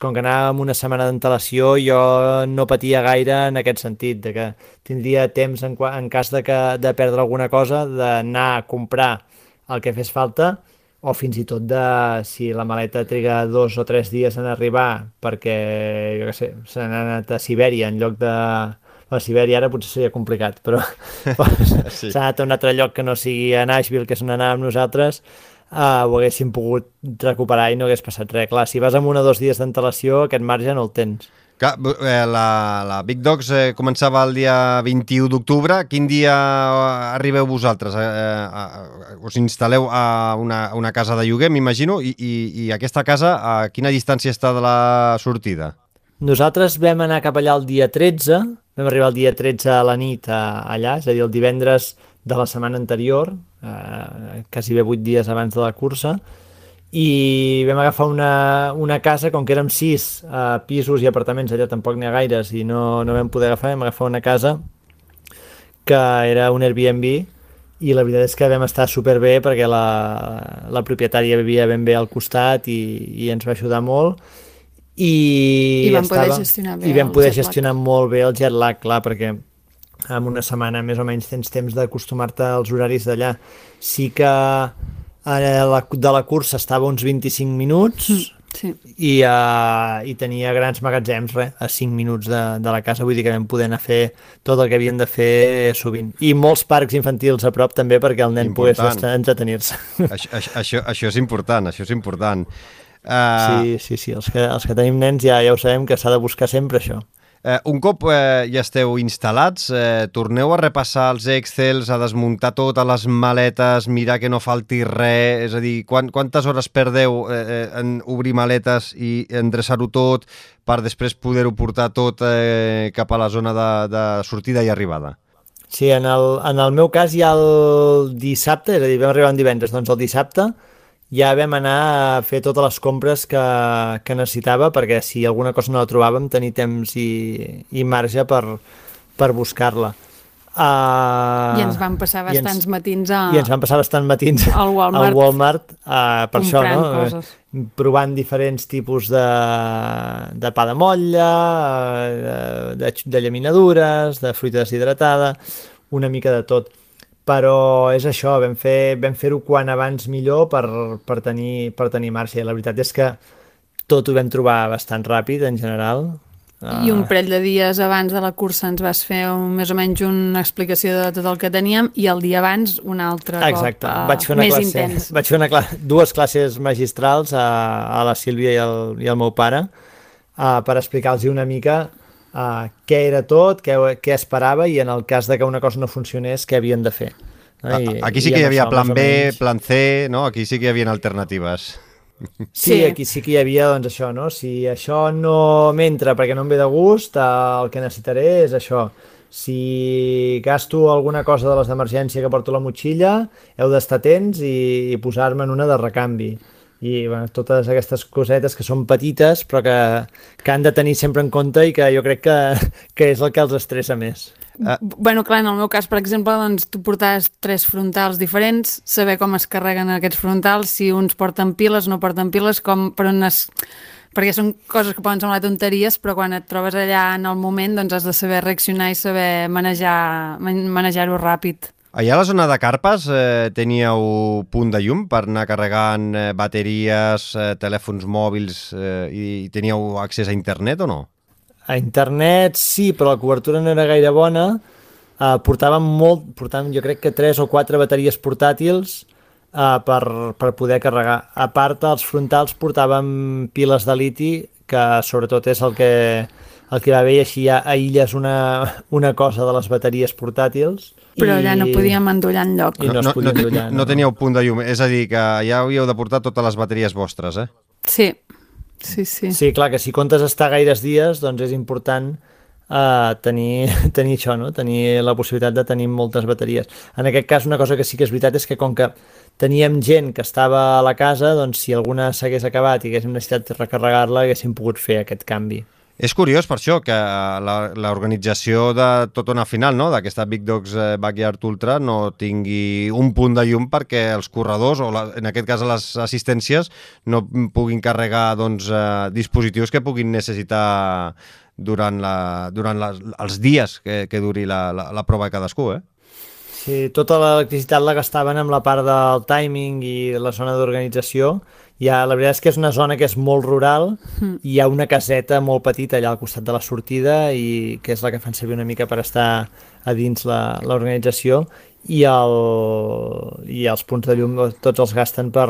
com que anava amb una setmana d'antelació, jo no patia gaire en aquest sentit, de que tindria temps en, en cas de, que, de perdre alguna cosa, d'anar a comprar el que fes falta, o fins i tot de si la maleta triga dos o tres dies en arribar perquè, jo què sé, s'ha anat a Sibèria en lloc de... A Sibèria ara potser seria complicat, però sí. S'ha anat a un altre lloc que no sigui a Nashville, que és on anàvem nosaltres, uh, ho haguéssim pogut recuperar i no hagués passat res. Clar, si vas amb un o dos dies d'antelació, aquest marge no el tens. Clar, la, la Big Dogs eh, començava el dia vint-i-u d'octubre. Quin dia arribeu vosaltres? Eh, eh, us instal·leu a una, una casa de lloguer, m'imagino, i, i, i aquesta casa a quina distància està de la sortida? Nosaltres vam anar cap allà el dia tretze, vam arribar el dia tretze a la nit a, allà, és a dir, el divendres de la setmana anterior, eh, quasi bé vuit dies abans de la cursa, i vam agafar una, una casa, com que érem sis uh, pisos i apartaments, allà tampoc n'hi ha gaires i no, no vam poder agafar, vam agafar una casa que era un Airbnb i la veritat és que vam estar superbé perquè la, la propietària vivia ben bé al costat i, i ens va ajudar molt i, I vam estava, poder gestionar bé i vam poder gestionar lag. molt bé el jet lag, clar, perquè en una setmana més o menys tens temps d'acostumar-te als horaris d'allà. Sí que La, de la cursa estava uns vint-i-cinc minuts sí. i, uh, i tenia grans magatzems res, a cinc minuts de, de la casa, vull dir que vam poder anar a fer tot el que havien de fer sovint. I molts parcs infantils a prop també perquè el nen important. Pogués entretenir-se. Això, això, això és important, això és important. Uh... Sí, sí, sí, els que, els que tenim nens ja, ja ho sabem que s'ha de buscar sempre això. Eh, un cop eh, ja esteu instal·lats, eh, torneu a repassar els Excels, a desmuntar totes les maletes, mirar que no falti res, és a dir, quant, quantes hores perdeu eh, en obrir maletes i endreçar-ho tot per després poder-ho portar tot eh, cap a la zona de, de sortida i arribada? Sí, en el, en el meu cas ja el dissabte, és a dir, vam arribar en divendres, doncs el dissabte ja vam anar a fer totes les compres que, que necessitava, perquè si alguna cosa no la trobàvem, tenir temps i, i marge per, per buscar-la. Uh, I ens van passar bastants ens, matins a... I ens van passar bastants matins al Walmart, al Walmart uh, per això, no? Coses. Provant diferents tipus de, de pa de motlla, de, de llaminadures, de fruita deshidratada, una mica de tot. Però és això, vam, fer, vam fer-ho quan abans millor per, per, tenir, per tenir marxa. I la veritat és que tot ho vam trobar bastant ràpid, en general. I un parell de dies abans de la cursa ens vas fer un, més o menys una explicació de tot el que teníem i el dia abans un altre Exacte. cop uh, vaig fer una més classe, intens. Vaig fer una cla dues classes magistrals a, a la Sílvia i al, i al meu pare uh, per explicar-los una mica uh, què era tot, què, què esperava i en el cas de que una cosa no funcionés, què havien de fer. No? I, aquí sí que hi havia plan B, plan C, no? Aquí sí que hi havia alternatives. Sí, aquí sí que hi havia, doncs, això, no? Si això no m'entra perquè no em ve de gust, el que necessitaré és això. Si gasto alguna cosa de les d'emergència que porto a la motxilla, heu d'estar atents i, i posar-me en una de recanvi. I bueno, totes aquestes cosetes que són petites però que, que han de tenir sempre en compte i que jo crec que, que és el que els estressa més. Uh, bueno, clar, en el meu cas, per exemple, doncs, tu portaves tres frontals diferents, saber com es carreguen aquests frontals, si uns porten piles, no porten piles, com per on es... perquè són coses que poden semblar tonteries, però quan et trobes allà en el moment, doncs has de saber reaccionar i saber manejar, manejar-ho ràpid. Allà a la zona de Carpes eh, teníeu punt de llum per anar carregant eh, bateries, eh, telèfons mòbils eh, i teníeu accés a internet o no? A internet sí, però la cobertura no era gaire bona. Uh, portàvem molt, portàvem jo crec que tres o quatre bateries portàtils uh, per, per poder carregar. A part, als frontals portàvem piles de liti, que sobretot és el que, el que va bé, i així ja aïlles una, una cosa de les bateries portàtils. Però allà no podíem endollar enlloc. No, no, no, endollar, no, no teníeu punt de llum, és a dir, que ja havíeu de portar totes les bateries vostres, eh? Sí. Sí, sí. Sí, clar, que si comptes estar gaires dies, doncs és important uh, tenir, tenir això, no? Tenir la possibilitat de tenir moltes bateries. En aquest cas, una cosa que sí que és veritat és que com que teníem gent que estava a la casa, doncs si alguna s'hagués acabat i haguéssim necessitat de recarregar-la, haguéssim pogut fer aquest canvi. És curiós per això que l'organització de tota una final, no?, d'aquesta Big Dogs Backyard Ultra no tingui un punt de llum perquè els corredors, o la, en aquest cas les assistències, no puguin carregar doncs, eh, dispositius que puguin necessitar durant, la, durant la, els dies que, que duri la, la, la prova de cadascú, eh? Sí, tota l'electricitat la gastaven amb la part del timing i la zona d'organització. Ja, la veritat és que és una zona que és molt rural mm. i hi ha una caseta molt petita allà al costat de la sortida i que és la que fan servir una mica per estar a dins l'organització i, el, i els punts de llum tots els gasten per,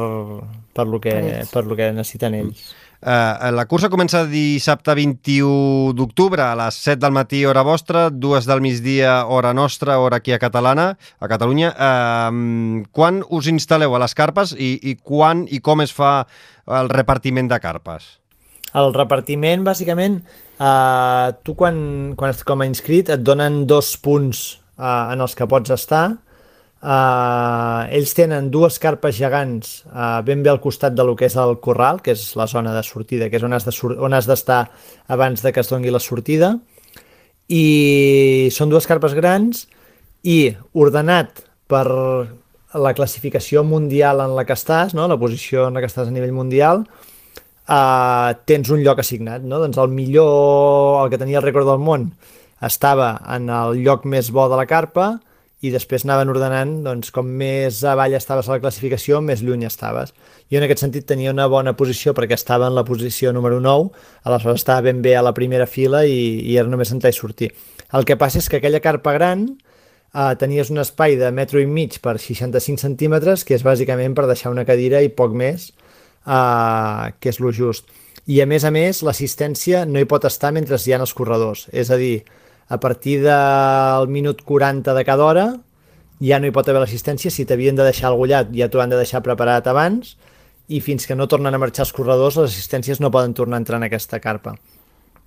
per, lo, que, per lo que necessiten ells. Uh, la cursa comença dissabte vint-i-u d'octubre a les set del matí, hora vostra, dues del migdia, hora nostra, hora aquí a Catalana, a Catalunya. Uh, quan us instal·leu a les carpes i, i quan i com es fa el repartiment de carpes? El repartiment, bàsicament, uh, tu quan, quan estàs com a inscrit et donen dos punts uh, en els que pots estar. Uh, ells tenen dues carpes gegants uh, ben bé al costat de lo que és el corral, que és la zona de sortida, que és on has de sur- on has d'estar abans de que es doni la sortida, i són dues carpes grans i ordenat per la classificació mundial en la que estàs, no? La posició en la que estàs a nivell mundial, uh, tens un lloc assignat, no? Doncs el millor, el que tenia el rècord del món estava en el lloc més bo de la carpa i després anaven ordenant, doncs, com més avall estaves a la classificació, més lluny estaves. Jo en aquest sentit tenia una bona posició perquè estava en la posició número nou, aleshores estava ben bé a la primera fila i, i era només entrar i sortir. El que passa és que aquella carpa gran eh, tenies un espai de metro i mig per seixanta-cinc centímetres, que és bàsicament per deixar una cadira i poc més, eh, que és lo just. I a més a més, l'assistència no hi pot estar mentre hi ha els corredors, és a dir, a partir del minut quaranta de cada hora ja no hi pot haver l'assistència. Si t'havien de deixar el gullat ja t'ho han de deixar preparat abans i fins que no tornen a marxar els corredors les assistències no poden tornar a entrar en aquesta carpa.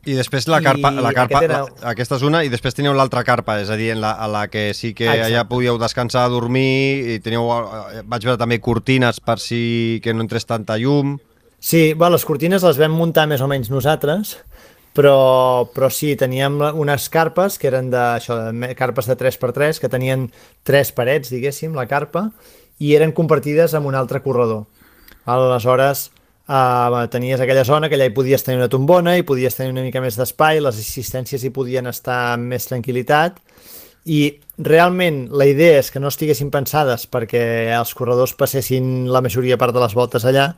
I després la carpa, I la carpa aquest era... la, aquesta és una, i després teniu l'altra carpa, és a dir, en la, a la que sí que Exacte. allà podíeu descansar, dormir, i teniu, vaig veure també cortines per si que no entrés tanta llum. Sí, bueno, les cortines les vam muntar més o menys nosaltres, però, però sí, teníem unes carpes que eren de, això, de carpes de tres per tres, que tenien tres parets, diguéssim, la carpa, i eren compartides amb un altre corredor. Aleshores, Uh, tenies aquella zona que allà hi podies tenir una tombona, hi podies tenir una mica més d'espai, les assistències hi podien estar amb més tranquil·litat, i realment la idea és que no estiguessin pensades perquè els corredors passessin la majoria part de les voltes allà,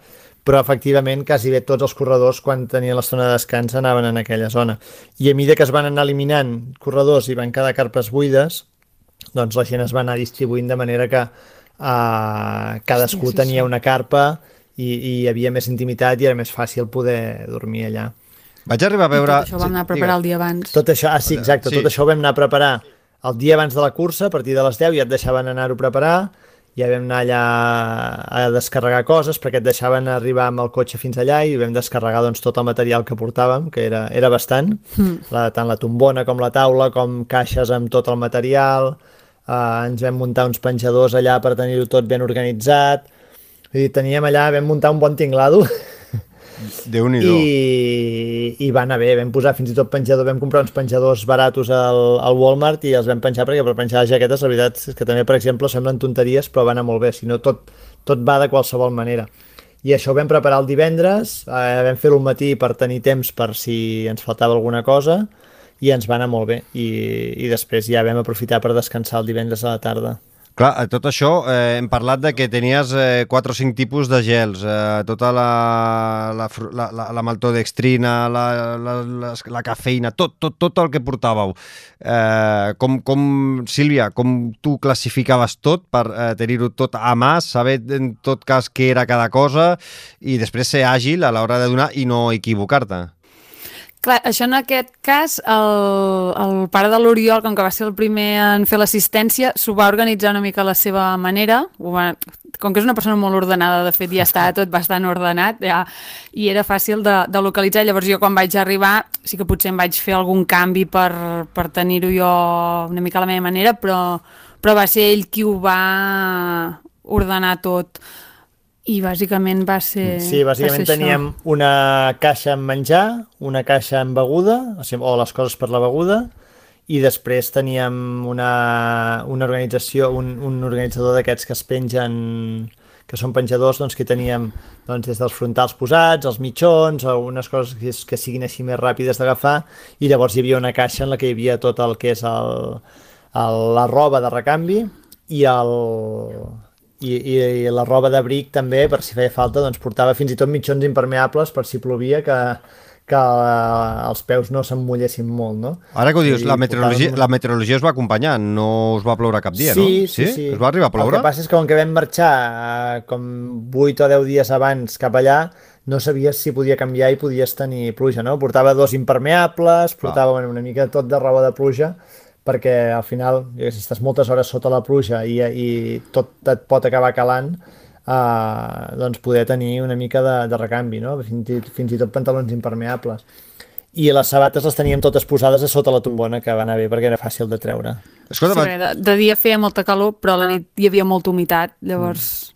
però efectivament quasi bé tots els corredors quan tenien l'estona de descans anaven en aquella zona, i a mesura que es van anar eliminant corredors i van quedar carpes buides, doncs la gent es va anar distribuint de manera que uh, cadascú sí, sí, tenia sí. una carpa i, i hi havia més intimitat i era més fàcil poder dormir allà. Vaig arribar a veure... I tot això ho vam anar a preparar el dia abans. Tot això, ah, sí, exacte, Sí. tot això ho vam anar a preparar el dia abans de la cursa, a partir de les deu ja et deixaven anar-ho a preparar, ja vam anar allà a descarregar coses perquè et deixaven arribar amb el cotxe fins allà i vam descarregar doncs, tot el material que portàvem, que era, era bastant, mm. la, tant la tombona com la taula, com caixes amb tot el material, eh, ens vam muntar uns penjadors allà per tenir-ho tot ben organitzat. I teníem allà, vam muntar un bon tinglado Déu-n'hi-do. i, i va anar bé, vam posar fins i tot penjador, vam comprar uns penjadors baratos al, al Walmart i els vam penjar perquè per penjar les jaquetes la veritat és que també, per exemple, semblen tonteries però va anar molt bé, si no tot, tot va de qualsevol manera. I això ho vam preparar el divendres, eh, vam fer-ho al matí per tenir temps per si ens faltava alguna cosa i ens va anar molt bé i, i després ja vam aprofitar per descansar el divendres a la tarda. Clar, a tot això eh, hem parlat de que tenies eh, quatre o cinc tipus de gels, eh, tota la, la, la, la, la maltodextrina, la, la, la, la cafeïna, tot, tot, tot el que portàveu. Eh, com, com, Sílvia, com tu classificaves tot per eh, tenir-ho tot a mà, saber en tot cas què era cada cosa i després ser àgil a l'hora de donar i no equivocar-te? Clar, això en aquest cas, el, el pare de l'Oriol, com que va ser el primer en fer l'assistència, s'ho va organitzar una mica a la seva manera. Va, com que és una persona molt ordenada, de fet ja està tot bastant ordenat, ja, i era fàcil de, de localitzar. Llavors jo quan vaig arribar sí que potser em vaig fer algun canvi per, per tenir-ho jo una mica a la meva manera, però, però va ser ell qui ho va ordenar tot. I bàsicament va ser... Sí, bàsicament va ser teníem això. una caixa amb menjar, una caixa amb beguda, o, sigui, o les coses per la beguda, i després teníem una, una organització, un, un organitzador d'aquests que es pengen, que són penjadors, doncs que teníem doncs, des dels frontals posats, els mitjons, algunes coses que, que siguin així més ràpides d'agafar, i llavors hi havia una caixa en la que hi havia tot el que és el, el, la roba de recanvi i el... I, i, i la roba d'abric també, per si feia falta, doncs portava fins i tot mitjons impermeables per si plovia, que, que uh, els peus no s'emmullessin molt, no? Ara que ho dius, I la meteorologia, portàvem... la meteorologia us va acompanyar, no us va ploure cap dia, sí, no? Sí, sí, sí. Us va arribar a ploure? El que passa és que com que vam marxar uh, com vuit o deu dies abans cap allà, no sabies si podia canviar i podies tenir pluja, no? Portava dos impermeables, portava ah. bueno, una mica tot de roba de pluja, perquè al final, si estàs moltes hores sota la pluja i, i tot et pot acabar calant, eh, doncs poder tenir una mica de, de recanvi, no? Fins i, fins i tot pantalons impermeables. I les sabates les teníem totes posades a sota la tombona, que va anar bé perquè era fàcil de treure. Escolta, sí, de, de dia feia molta calor, però a la nit hi havia molta humitat, llavors...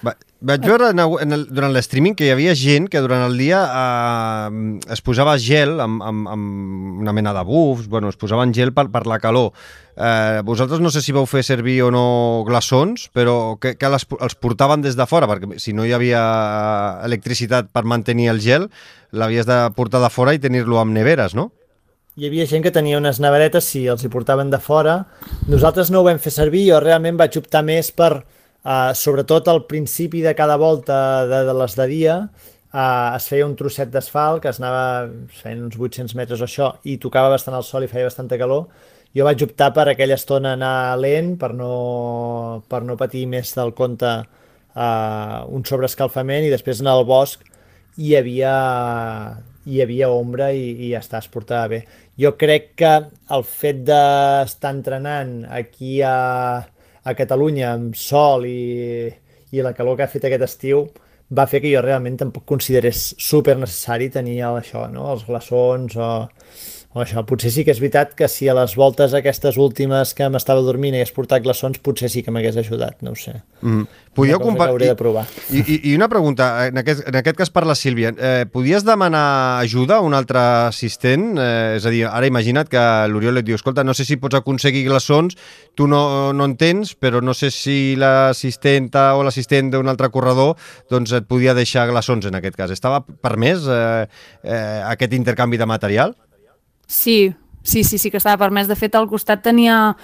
Va, vaig veure en el, durant l'streaming que hi havia gent que durant el dia eh, es posava gel amb, amb, amb una mena de bufs, bueno, es posaven gel per, per la calor. Eh, vosaltres no sé si vau fer servir o no glaçons, però que, que les, els portaven des de fora, perquè si no hi havia electricitat per mantenir el gel, l'havies de portar de fora i tenir-lo amb neveres, no? Hi havia gent que tenia unes neveretes, sí, els hi portaven de fora. Nosaltres no ho vam fer servir, jo realment vaig optar més per... Uh, sobretot al principi de cada volta de, de les de dia uh, es feia un trosset d'asfalt que es anava feien uns vuit-cents metres o això i tocava bastant el sol i feia bastanta calor. Jo vaig optar per aquella estona anar lent per no, per no patir més del compte uh, un sobreescalfament, i després en el bosc hi havia, hi havia ombra i, i ja està, es portava bé. Jo crec que el fet d'estar entrenant aquí a a Catalunya amb sol i, i la calor que ha fet aquest estiu va fer que jo realment tampoc considerés super necessari tenir això, no? Els glaçons o, o això. Potser sí que és veritat que si a les voltes aquestes últimes que m'estava dormint hagués portat glaçons, potser sí que m'hagués ajudat, no ho sé. Mm. Podíeu una cosa compa- que hauré de provar. I, i, I una pregunta, en aquest, en aquest cas per la Sílvia, eh, podies demanar ajuda a un altre assistent? Eh, és a dir, ara imagina't que l'Oriol et diu, escolta, no sé si pots aconseguir glaçons, tu no, no en tens, però no sé si l'assistenta o l'assistent d'un altre corredor doncs et podia deixar glaçons en aquest cas. Estava permès eh, eh, aquest intercanvi de material? Sí, sí, sí, sí que estava permès. De fet, al costat tenia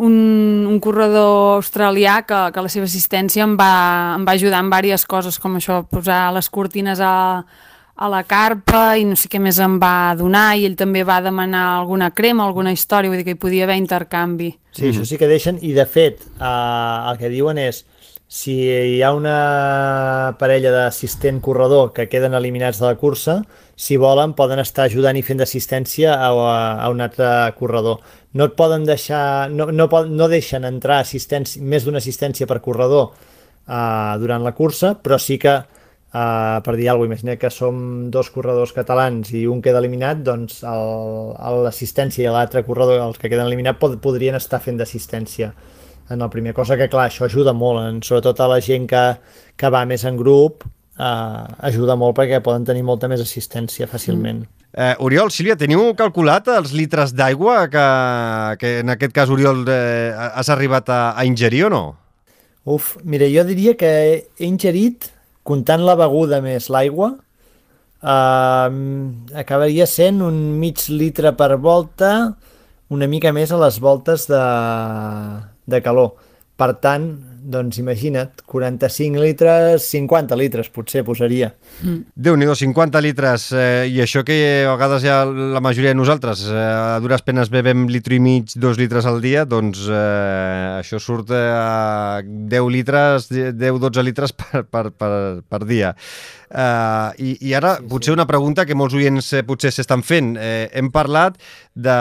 un, un corredor australià que, que la seva assistència em va, em va ajudar en diverses coses, com això, posar les cortines a, a la carpa i no sé què més em va donar, i ell també va demanar alguna crema, alguna història, vull dir que hi podia haver intercanvi. Sí, això sí que deixen, i de fet, eh, el que diuen és, si hi ha una parella d'assistent corredor que queden eliminats de la cursa, si volen poden estar ajudant i fent d'assistència a, a un altre corredor. No et poden deixar, no, no, no deixen entrar assistència, més d'una assistència per corredor uh, durant la cursa, però sí que, uh, per dir alguna cosa, imagina que som dos corredors catalans i un queda eliminat, doncs l'assistència i l'altre corredor, els que queden eliminats, pod podrien estar fent d'assistència en la primera cosa, que clar, això ajuda molt, en, sobretot a la gent que, que va més en grup, eh, ajuda molt perquè poden tenir molta més assistència fàcilment. Mm. Eh, Oriol, Sílvia, teniu calculat els litres d'aigua que, que en aquest cas, Oriol, eh, has arribat a, a ingerir o no? Uf, mira, jo diria que he ingerit, comptant la beguda més l'aigua, eh, acabaria sent un mig litre per volta, una mica més a les voltes de... de calor. Per tant, doncs imagina't, quaranta-cinc litres, cinquanta litres potser posaria. Mm. Déu-n'hi-do, cinquanta litres, eh, i això que a vegades ja la majoria de nosaltres eh, a dures penes bevem litre i mig, dos litres al dia, doncs eh, això surt a deu litres, deu dotze litres per, per, per, per dia. Uh, i, i ara sí, potser sí. Una pregunta que molts oients eh, potser s'estan fent. Eh, hem parlat de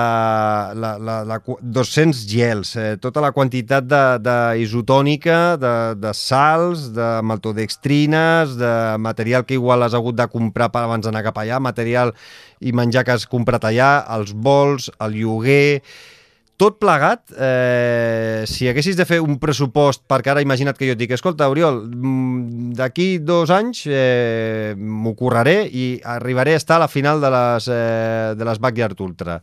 la, la, la dos-cents gels, eh, tota la quantitat d'isotònica, de, de, de sals, de maltodextrines, de material que igual has hagut de comprar per abans d'anar cap allà, material i menjar que has comprat allà, els vols, el lloguer... Tot plegat, eh, si haguessis de fer un pressupost, perquè ara imagina't que jo et dic, escolta, Oriol, d'aquí dos anys eh, m'ho curraré i arribaré a estar a la final de les, eh, de les Backyard Ultra.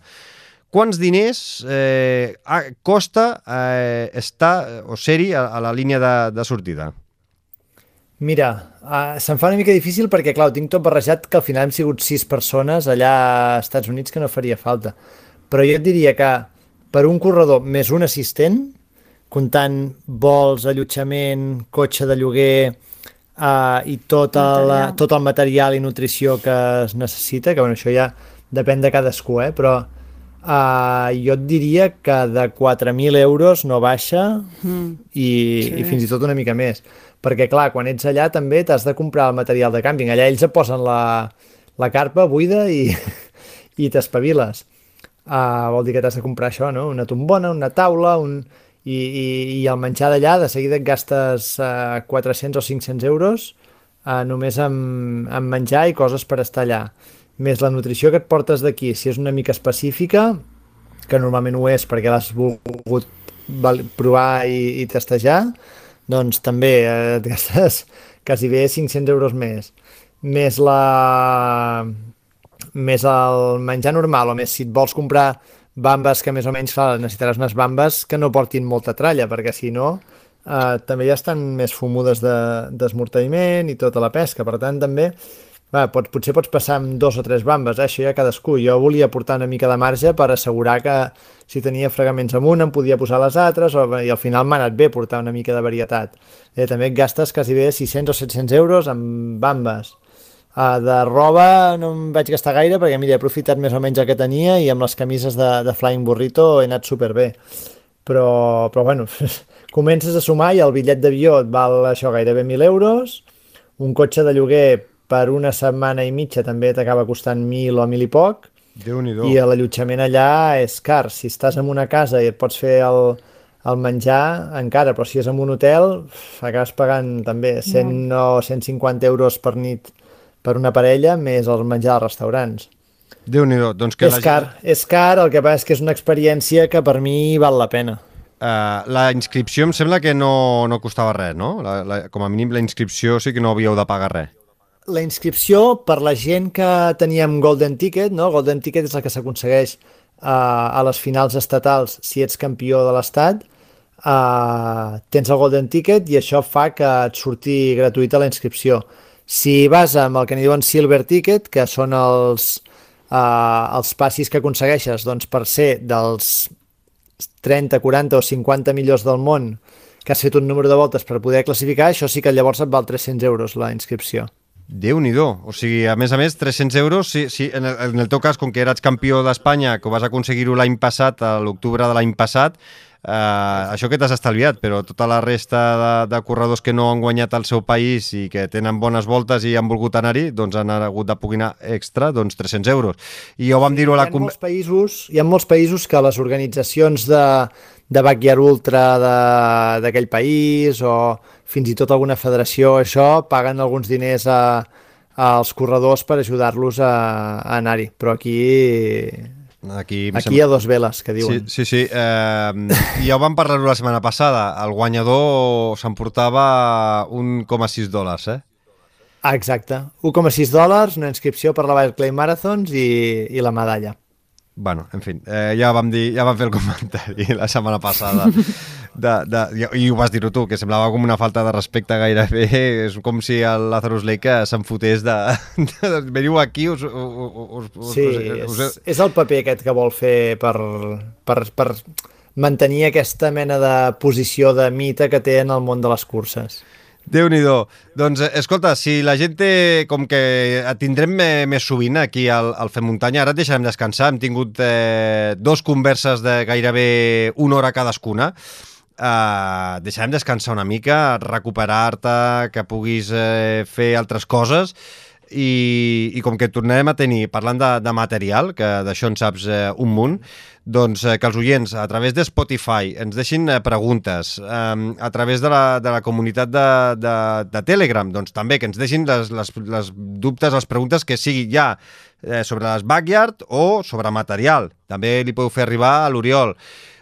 Quants diners eh, costa eh, estar o ser-hi a, a la línia de, de sortida? Mira, uh, se'm fa una mica difícil perquè, clar, ho tinc tot barrejat, que al final hem sigut sis persones allà als Estats Units, que no faria falta. Però jo et diria que per un corredor més un assistent, comptant vols, allotjament, cotxe de lloguer uh, i tot el, tot el material i nutrició que es necessita, que bueno, això ja depèn de cadascú, eh? Però uh, jo et diria que de quatre mil euros no baixa mm. i, sí. i fins i tot una mica més. Perquè clar, quan ets allà també t'has de comprar el material de càmping. Allà ells et posen la, la carpa buida i, i t'espaviles. Uh, vol dir que t'has de comprar això, no? Una tombona, una taula, un... I, i, i el menjar d'allà de seguida et gastes uh, quatre-cents o cinc-cents euros uh, només amb, amb menjar i coses per estar allà. Més la nutrició que et portes d'aquí, si és una mica específica, que normalment ho és perquè l'has volgut provar i, i testejar, doncs també eh, et gastes quasi bé cinc-cents euros més. Més la... més el menjar normal, o més si et vols comprar bambes que més o menys clar, necessitaràs unes bambes que no portin molta tralla, perquè si no eh, també ja estan més fumudes d'esmorteïment de, i tota la pesca, per tant també va, pots, potser pots passar amb dos o tres bambes, eh? Això ja cadascú. Jo volia portar una mica de marge per assegurar que si tenia fregaments amunt em podia posar les altres, o, i al final m'ha anat bé portar una mica de varietat. Eh, també et gastes quasi bé sis-cents o set-cents euros amb bambes. Uh, de roba no em vaig gastar gaire perquè mira, he aprofitat més o menys el que tenia i amb les camises de, de Flying Burrito he anat superbé, però, però bueno, comences a sumar i el bitllet d'avió et val això gairebé mil euros, un cotxe de lloguer per una setmana i mitja també t'acaba costant mil o mil i poc, Déu-n'hi-do. I l'allotjament allà és car. Si estàs en una casa i et pots fer el, el menjar encara, però si és en un hotel acabes pagant també cent o cent cinquanta euros per nit per una parella, més el menjar als restaurants. Déu-n'hi-do. Doncs que és la car, gent... és car, el que passa és que és una experiència que per mi val la pena. Uh, la inscripció em sembla que no, no costava res, no? La, la, com a mínim la inscripció sí que no havíeu de pagar res. La inscripció, per la gent que teníem Golden Ticket, no? Golden Ticket és el que s'aconsegueix uh, a les finals estatals si ets campió de l'estat, uh, tens el Golden Ticket i això fa que et surti gratuïta la inscripció. Si vas amb el que n'hi diuen Silver Ticket, que són els, uh, els passis que aconsegueixes doncs, per ser dels trenta, quaranta o cinquanta millors del món, que has fet un número de voltes per poder classificar, això sí que llavors et val tres-cents euros la inscripció. Déu-n'hi-do. O sigui, a més a més, tres-cents euros, si, si, en, el, en el teu cas, com que eres campió d'Espanya, que ho vas aconseguir-ho l'any passat, a l'octubre de l'any passat, eh, això que t'has estalviat, però tota la resta de, de corredors que no han guanyat al seu país i que tenen bones voltes i han volgut anar-hi, doncs han hagut de poder extra, doncs tres-cents euros. I ja ho vam dir-ho a la... Hi ha molts països, hi ha molts països que les organitzacions de, de Backyard Ultra d'aquell país o fins i tot alguna federació, això, paguen alguns diners a, als corredors per ajudar-los a, a anar-hi. Però aquí... Aquí, aquí sembla... hi ha dos veles, que diuen. Sí, sí, sí. Eh, ja ho vam parlar-ho la setmana passada. El guanyador s'emportava un coma sis dòlars, eh? Ah, exacte. un coma sis dòlars, una inscripció per la Barclay Marathons i, i la medalla. Bueno, en fi, eh, ja vam dir, ja vam fer el comentari la setmana passada de, de, i ho vas dir tu, que semblava com una falta de respecte gairebé, és com si el Lazarus Lake se'n fotés de, de, de veniu aquí us, us, us, sí, us, us... És, és el paper aquest que vol fer per, per, per mantenir aquesta mena de posició de mite que té en el món de les curses. Déu-n'hi-do. Doncs, escolta, si la gent té, com que et tindrem més sovint aquí al, al Fem Muntanya, ara et deixarem descansar, hem tingut eh, dos converses de gairebé una hora cadascuna, eh, deixarem descansar una mica, recuperar-te, que puguis eh, fer altres coses, i, i com que tornarem a tenir, parlant de, de material, que d'això en saps eh, un munt, doncs eh, que els oients a través de Spotify ens deixin eh, preguntes, eh, a través de la, de la comunitat de, de, de Telegram, doncs també que ens deixin les, les, les dubtes, les preguntes que sigui ja eh, sobre les backyard o sobre material. També li podeu fer arribar a l'Oriol.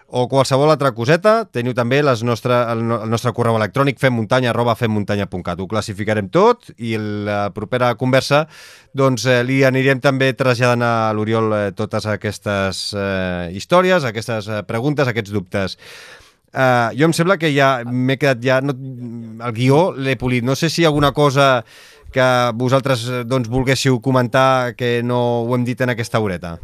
O qualsevol altra coseta, teniu també les nostre, el, el nostre correu electrònic femmuntanya arroba femmuntanya punt cat. Ho classificarem tot i la propera conversa doncs, eh, li anirem també traslladant a l'Oriol eh, totes aquestes eh, històries, aquestes eh, preguntes, aquests dubtes. Eh, jo em sembla que ja m'he quedat ja... No, el guió l'he polit. No sé si hi ha alguna cosa que vosaltres doncs, volguéssiu comentar que no ho hem dit en aquesta horeta.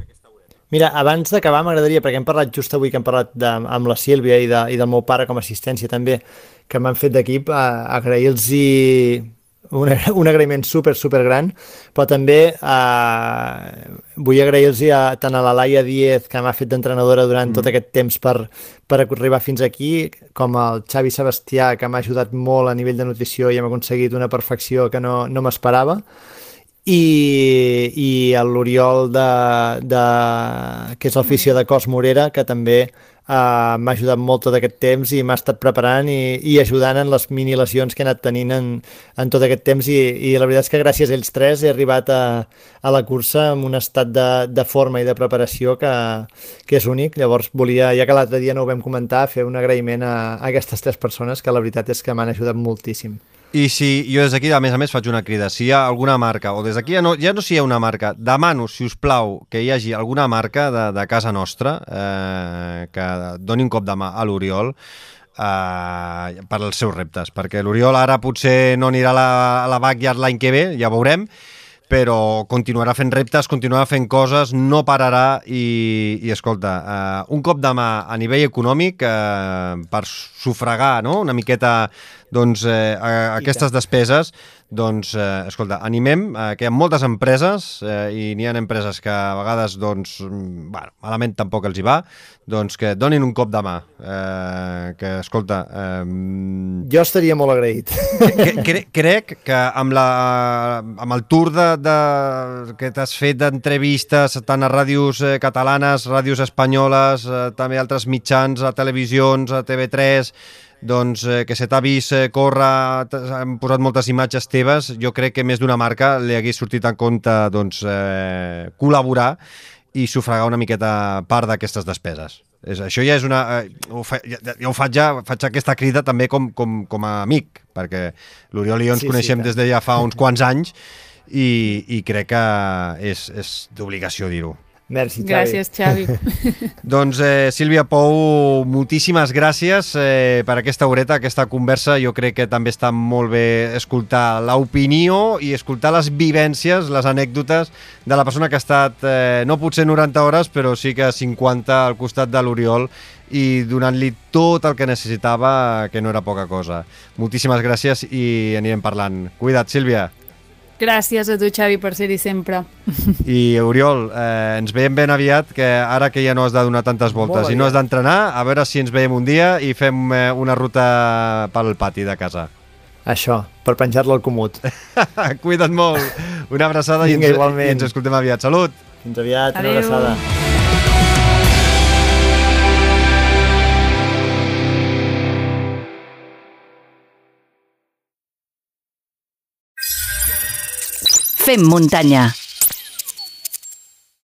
Mira, abans d'acabar m'agradaria, perquè hem parlat just avui que hem parlat de, amb la Sílvia i, de, i del meu pare com a assistència també, que m'han fet d'equip, agrair-los un, un agraïment super, super gran, però també eh, vull agrair-los tant a la Laia Díez, que m'ha fet d'entrenadora durant mm. tot aquest temps per, per arribar fins aquí, com al Xavi Sebastià, que m'ha ajudat molt a nivell de nutrició i hem aconseguit una perfecció que no, no m'esperava. I, i l'Oriol de, de, que és el fisio de Cos Morera, que també eh, m'ha ajudat molt tot aquest temps i m'ha estat preparant i, i ajudant en les mini lesions que he anat tenint en, en tot aquest temps i, i la veritat és que gràcies a ells tres he arribat a, a la cursa amb un estat de, de forma i de preparació que, que és únic. Llavors volia, ja que l'altre dia no ho vam comentar, fer un agraïment a, a aquestes tres persones que la veritat és que m'han ajudat moltíssim. I si jo des d'aquí, a més a més, faig una crida, si hi ha alguna marca, o des d'aquí ja no, ja no si hi ha una marca, demano, si us plau, que hi hagi alguna marca de, de casa nostra eh, que doni un cop de mà a l'Oriol eh, per als seus reptes, perquè l'Oriol ara potser no anirà a la, a la backyard l'any que ve, ja veurem, però continuarà fent reptes, continuarà fent coses, no pararà i, i escolta, eh, un cop de mà a nivell econòmic eh, per sufragar, no?, una miqueta doncs, eh, a, a aquestes despeses, doncs, eh, escolta, animem eh, que hi ha moltes empreses eh, i n'hi ha empreses que a vegades, doncs, bueno, malament tampoc els hi va, doncs que donin un cop de mà. Eh, que, escolta... Eh, jo estaria molt agraït. cre cre crec que amb, la, amb el tour de, de, que t'has fet d'entrevistes tant a ràdios eh, catalanes, ràdios espanyoles, eh, també altres mitjans, a televisions, a T V tres, doncs, eh, que se t'ha vist eh, córrer, han posat moltes imatges teves, jo crec que més d'una marca li hagués sortit en compte doncs, eh, col·laborar i sufragar una miqueta part d'aquestes despeses. És, això ja és una... Eh, ho fa, ja, ja ho faig ja, faig aquesta crida també com, com, com a amic, perquè l'Oriol i jo ens sí, coneixem sí, des de ja fa uns quants anys i, i crec que és, és d'obligació dir-ho. Merci, Xavi. Gràcies, Xavi. Doncs, eh, Sílvia Pou, moltíssimes gràcies eh, per aquesta horeta, aquesta conversa. Jo crec que també està molt bé escoltar l'opinió i escoltar les vivències, les anècdotes de la persona que ha estat, eh, no potser noranta hores, però sí que cinquanta al costat de l'Oriol i donant-li tot el que necessitava, que no era poca cosa. Moltíssimes gràcies i anirem parlant. Cuida't, Sílvia. Gràcies a tu, Xavi, per ser-hi sempre. I, Oriol, eh, ens veiem ben aviat, que ara que ja no has de donar tantes voltes i no has d'entrenar, a veure si ens veiem un dia i fem eh, una ruta pel pati de casa. Això, per penjar-lo al comut. Cuida't molt. Una abraçada. Vinga, i, ens, igualment. i ens escoltem aviat. Salut! Fins aviat, Adéu. una abraçada. Fem muntanya.